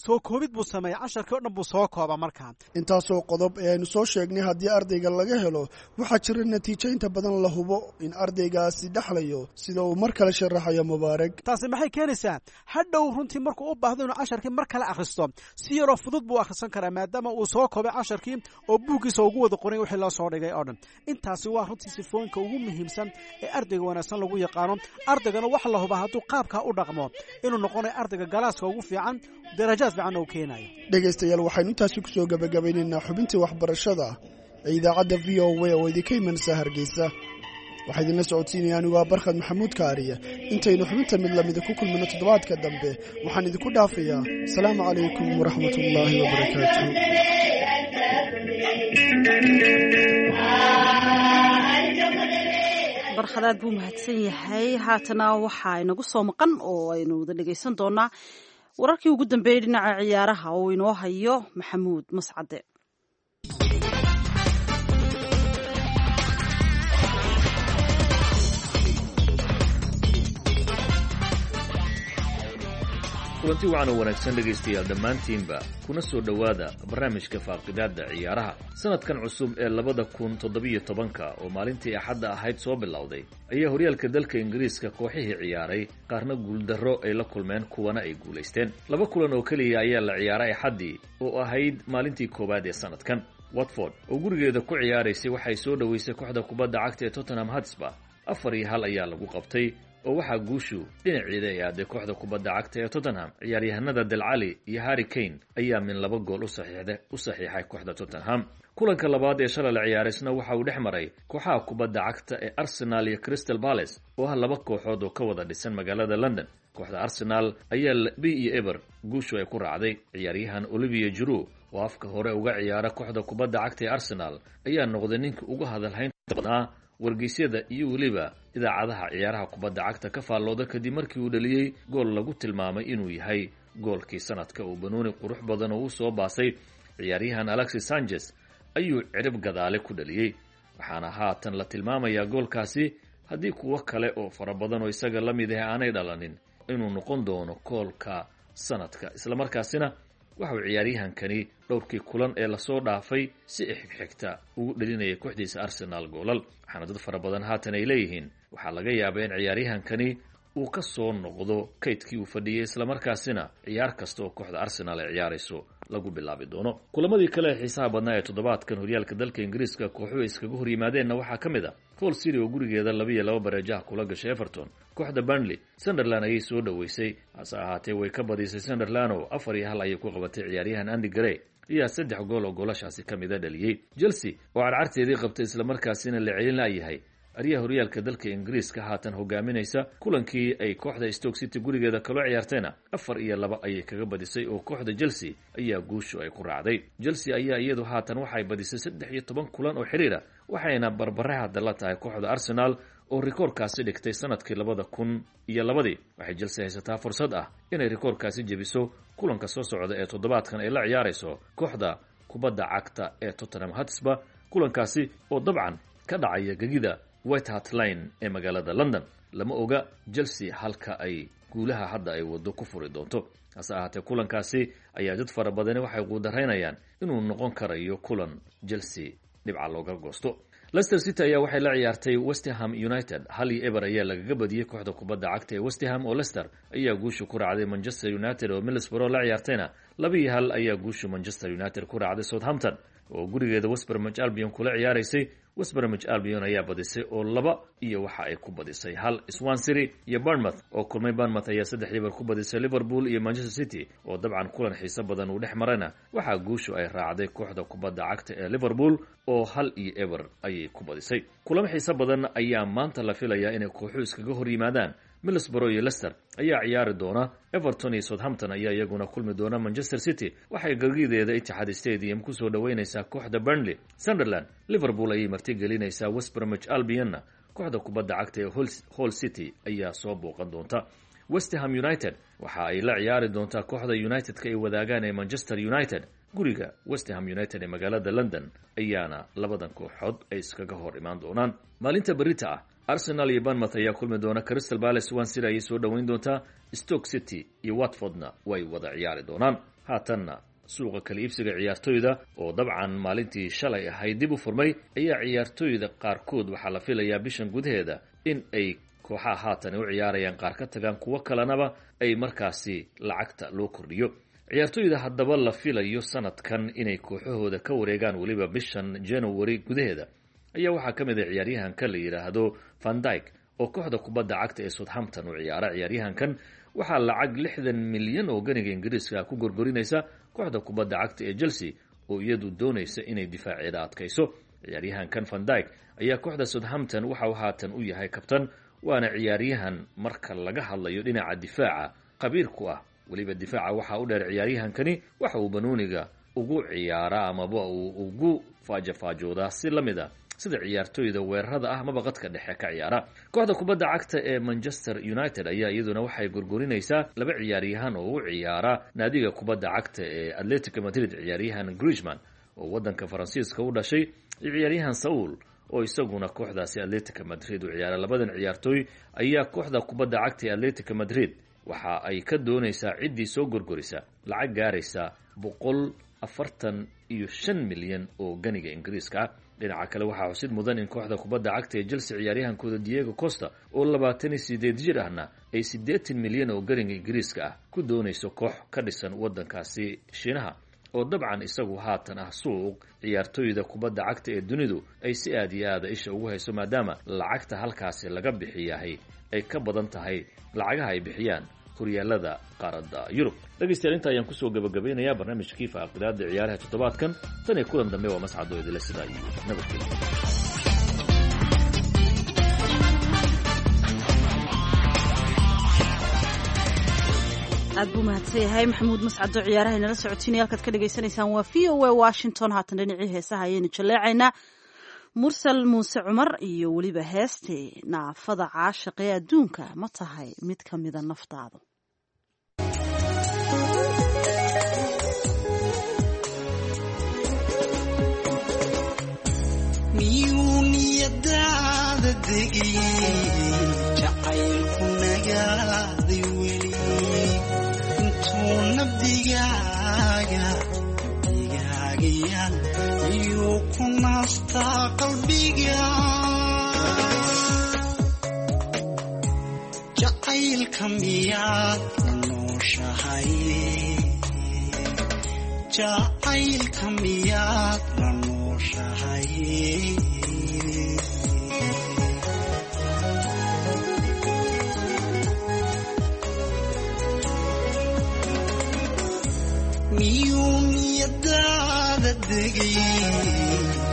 soo koobid buu sameeya, casharkii o dhan buu soo kooba markaa. Intaasoo qodob ee aynu soo sheegnay haddii ardayga laga helo, waxaa jira natiijo inta badan la hubo in ardaygaasi dhexlayo, sida uu mar kale sharaxayo Mubaarak. Taasi maxay keenaysaa? Hadhow runtii markuu u baahdo inuu casharkii mar kale akhristo, si yaroo fudud buu akhrisan karaa, maadaama uu soo koobay casharkii oo buuggiisa ugu wada qoray wixii loo soo dhigay oo dhan. Intaasi waa runtii sifooyinka ugu muhiimsan ee ardayga wanaagsan lagu yaqaano. Ardaygana waxa la hubaa hadduu qaabkaa u dhaqmo inuu noqonayo ardayga galaaska ugu fiican, darajaad Dhegaystayaal, waxaynu intaasi kusoo gabagabaynaynaa xubintii waxbarashada ee idaacadda VOA oo idinka imanaysa Hargeysa. Waxaa idinla socodsiinaya anigu aa Barkhad Maxamuud Kaariye. Intaynu xubinta mid lamida ku kulmino toddobaadka dambe, waxaan idinku dhaafayaa asalaamu calaykum waraxmatullaahi wabarakaatu. Barkhadaad buu mahadsan yahay. Haatana waxaa inagu soo maqan oo aynu wada dhegaysan doonaa wararkii ugu dambeeyey dhinaca ciyaaraha oo inoo hayo Maxamuud Mascade. Kulanti wacan oo wanaagsan dhegaystayaal dhammaantiinba, kuna soo dhowaada barnaamijka faaqidaadda ciyaaraha. Sanadkan cusub ee 2017-ka oo maalintii Axadda ahayd soo bilowday ayaa horyaalka dalka Ingiriiska kooxihii ciyaaray qaarna guuldarro ay la kulmeen, kuwana ay guulaysteen. Laba kulan oo keliya ayaa la ciyaaray Axaddii oo ahayd maalintii koowaad ee sanadkan. Watford oo gurigeeda ku ciyaaraysay waxay soo dhoweysay kooxda kubadda cagta ee Tottenham Hotspur. 4-1 ayaa lagu qabtay oo waxaa guushu dhinaceeda ay aaday kooxda kubadda cagta ee Tottenham. Ciyaaryahanada Dele Alli iyo Harry Kane ayaa min laba gool u saxiixay kooxda Tottenham. Kulanka labaad ee shalay la ciyaaray isna waxa uu dhex maray kooxaha kubadda cagta ee Arsenal iyo Crystal Palace oo ah laba kooxood oo ka wada dhisan magaalada London. Kooxda Arsenal ayaa 2-0 guushu ay ku raacday. Ciyaaryahan Olivier Giroud oo afka hore uga ciyaara kooxda kubadda cagta ee Arsenal ayaa noqday ninka uga hadalhaynta badnaa wargeysyada iyo weliba idaacadaha ciyaaraha kubadda cagta ka faallooda, kadib markii uu dhaliyey gool lagu tilmaamay inuu yahay goolkii sanadka, uu banooni qurux badan oo u soo baasay ciyaaryahan Alexis Sanchez ayuu cirib gadaale ku dhaliyey. Waxaana haatan la tilmaamayaa goolkaasi, haddii kuwo kale oo fara badan oo isaga la mid ah aanay dhalanin, inuu noqon doono goolka sanadka. Islamarkaasina waxauu ciyaaryahankani dhowrkii kulan ee lasoo dhaafay si xigxigta ugu dhelinaya kooxdiisa Arsenal goolal, waxaana dad fara badan haatan ay leeyihiin waxaa laga yaabaa in ciyaaryahankani uu ka soo noqdo kaydkii uu fadhiyey, islamarkaasina ciyaar kasta oo kooxda Arsenal ay ciyaarayso lagu bilaabi doono. Kulamadii kale ee xiisaha badnaa ee toddobaadkan horyaalka dalka Ingiriiska kooxuhu iskaga hor yimaadeenna waxaa ka mid a Hull City oo gurigeeda 2-2 bareejaha kula gashay Everton. Kooxda Burnley Sunderland ayay soo dhoweysay, hase ahaatee way ka badisay Sunderland oo 4-1 ayay ku qabatay. Ciyaaryahan Andy Gray ayaa saddex gool oo goolashaasi ka mida dhaliyey. Chelsea oo carcarteedii qabtay, islamarkaasina la celin la'yahay, aryaha horyaalka dalka Ingiriiska haatan hogaaminaysa, kulankii ay kooxda Stoke City gurigeeda kaloo ciyaartayna 4-2 ayay kaga badisay oo kooxda Chelsea ayaa guushu ay ku raacday. Chelsea ayaa iyadu haatan waxay badisay 13 kulan oo xiriira, waxayna barbare hadda la tahay kooxda Arsenal oo rikoorkaasi dhigtay sanadkii 2002-dii. Waxay Chelsea haysataa fursad ah inay rikoorkaasi jebiso kulanka soo socda ee toddobaadkan ay la ciyaarayso kooxda kubadda cagta ee Tottenham Hotspur, kulankaasi oo dabcan ka dhacaya gegida White Hart Lane ee magaalada London. Lama oga Chelsea halka ay guulaha hadda ay waddo ku furi doonto, hase ahaatee kulankaasi ayaa dad fara badani waxay quudaraynayaan inuu noqon karayo kulan Chelsea dhibca looga goosto. Leicester City ayaa waxay la ciyaartay West Ham United. 1-0 ayaa lagaga badiyey kooxda kubadda cagta ee West Ham oo Leicester ayaa guusha ku raacday. Manchester United oo Middlesbrough la ciyaartayna 2-1 ayaa guusha Manchester United ku raacday. Southampton oo gurigeeda West Bromwich Albion kula ciyaaraysay, West Bromwich Albion ayaa badisay oo laba iyo waxa ay ku badisay hal. Swansea iyo Bournemouth oo kulmay, Bournemouth ayaa 3-0 ku badisay. Liverpool iyo Manchester City oo dabcan kulan xiiso badan uu dhex marayna waxaa guushu ay raacday kooxda kubadda cagta ee Liverpool oo 1-0 ayay ku badisay. Kulamo xiiso badan ayaa maanta la filayaa inay kooxuhu iskaga hor yimaadaan. Middlesbrough iyo Leicester ayaa ciyaari doona, Everton iyo Southampton ayaa iyaguna kulmi doona. Manchester City waxay gagideeda Etihad Stadium kusoo dhoweynaysaa kooxda Burnley. Sunderland Liverpool ayay marti gelinaysaa, West Bromwich Albionna kooxda kubadda cagta ee Hull City ayaa soo booqan doonta. West Ham United waxa ay la ciyaari doontaa kooxda United-ka ay wadaagaan ee Manchester United. Guriga West Ham United ee magaalada London ayaana labadan kooxood ay iskaga hor imaan doonaan. Maalinta berita ah Arsenal iyo Bournemouth ayaa kulmi doona, Crystal Palace Swansea ayay soo dhoweyn doontaa, Stoke City iyo Watfordna way wada ciyaari doonaan. Haatanna suuqa kala iibsiga ciyaartoyda oo dabcan maalintii shalay ahayd dib u furmay ayaa ciyaartoyda qaarkood waxaa la filayaa bishan gudaheeda in ay kooxaha haatan u ciyaarayaan qaar ka tagaan, kuwo kalenaba ay markaasi lacagta loo kordhiyo. Ciyaartoyda haddaba la filayo sanadkan inay kooxahooda ka wareegaan weliba bishan January gudaheeda ayaa waxaa ka mid ah ciyaaryahanka la yidhaahdo Van Dijk oo kooxda kubadda cagta ee Southampton u ciyaara. Ciyaaryahankan waxaa lacag 60 milyan oo ganiga Ingiriiska ku gorgorinaysa kooxda kubadda cagta ee Chelsea oo iyadu doonaysa inay difaaceeda adkayso. Ciyaaryahankan Van Dijk ayaa kooxda Southampton waxa uu haatan u yahay kabtan, waana ciyaaryahan marka laga hadlayo dhinaca difaaca khabiir ku ah. Weliba difaaca waxaa u dheer, ciyaaryahankani waxa uu banooniga ugu ciyaaraa amaba uu ugu faajafaajoodaa si la mid a sida ciyaartoyda weerarada ah maba qadka dhexe ka ciyaara. Kooxda kubadda cagta ee Manchester United ayaa iyaduna waxay gorgorinaysaa laba ciyaaryahan oo u ciyaara naadiga kubadda cagta ee Atletico Madrid: ciyaaryahan Griezmann oo waddanka Faransiiska u dhashay iyo ciyaaryahan Saul oo isaguna kooxdaasi Atletico Madrid u ciyaara. Labadan ciyaartooy ayaa kooxda kubadda cagta ee Atletico Madrid Waxa ay ka doonaysaa ciddii soo gorgorisa lacag gaaraysa 145 milyan oo ganiga Ingiriiska ah. Dhinaca kale, waxaa xusid mudan in kooxda kubadda cagta ee Chelsea ciyaaryahankooda Diego Costa oo 28 jir ahna ay 80 milyan oo ganiga Ingiriiska ah ku doonayso koox ka dhisan waddankaasi Shiinaha, oo dabcan isagu haatan ah suuq ciyaartooyda kubadda cagta ee dunidu ay si aad iyo aada isha ugu hayso, maadaama lacagta halkaasi laga bixiyahay ay ka badan tahay lacagaha ay bixiyaan horyaalada qaaradda Yurub. Dhegaystayaal, inta ayaan kusoo gabagabeynayaa barnaamijkii faaqidaada ciyaaraha toddobaadkan. Tan iyo kulan dambe, waa Mascadoo idila sidaa iyo nabadgelyo. Aad buu mahadsan yahay Maxamuud Mascado, ciyaaraha inala socotiinaya. Halkaad ka dhagaysanaysaan waa VOA Washington. Haatan dhinacii heesaha ayaynu jaleecaynaa. Mursal Muuse Cumar iyo weliba heestee Naafada Caashiq ee Adduunka ma tahay mid ka mida naftaadu. Miyuu niyadaada degay jacaylku nagaaday weli intuu nabdigaaga nabdigaagayaan miyuu ku naastaa qalbiga jacaylka miyaad la nooshahay jacaylka miyaad la nooshahay. Miyuu niyadaada degay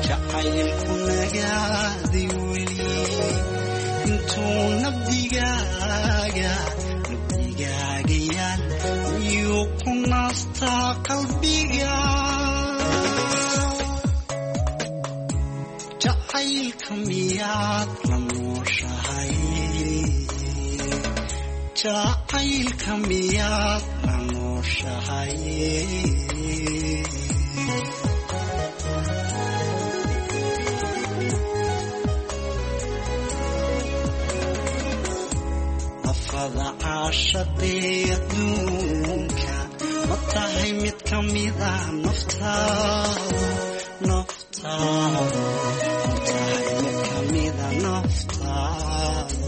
jacaylku nagaaday weli intuu nabdigaaga nabdigaagayaan miyuu ku naastaa qalbiga jacaylka miyaad la nooshahay jacaylka miyaad la nooshahay. Afada caashaqee adduunka ma tahay mid ka mida naftaadu naftaadu ma tahay mid ka mida naftaadu.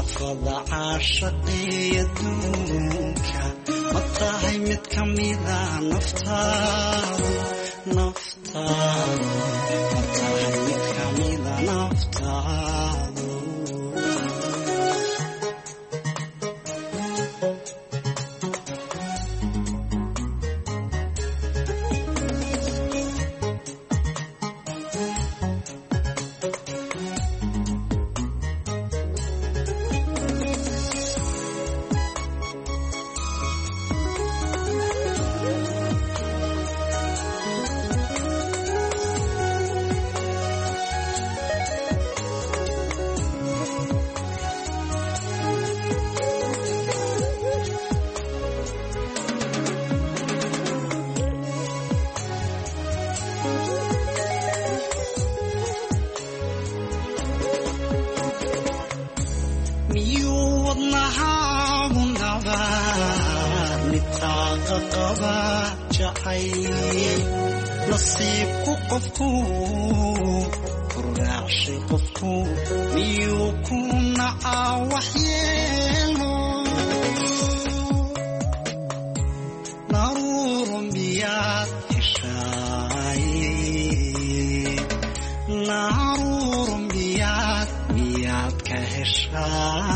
Afada caashaqee adduunka ma tahay mid ka mida naftaadu naftaadu ma tahay mid ka mida naftaadu. Miyuu wadnahaagu nabaa nitaaqa qaba jacayl nasiibku qofku ku raacshay qofku miyuu ku nacaa waxyeelo naruuro miyaad heshaay naruuro miyaad miyaad ka heshaa.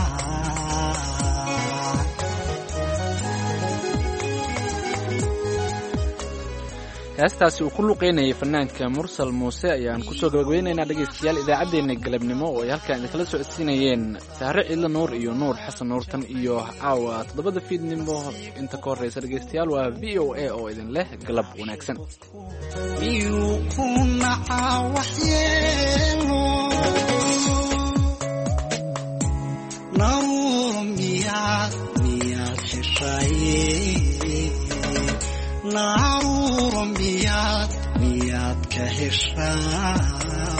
Heestaasi uu ku luqeynayay fanaanka Mursal Muuse ayaan kusoo gabagabeynaynaa, dhegaystayaal, idaacaddeenna galabnimo oo ay halkan idinkala socodsiinayeen Sahre Ciidle Nuur iyo Nuur Xasan Nuurtan iyo caawa 7da fiidnimo. Inta ka horreysa, dhegaystayaal, waa VOA oo idin leh galab wanaagsan. Miyuu ku nacaa waxyeelo naruuro miyaad miyaad heshay naruuro miyaad miyaad ka heshaa.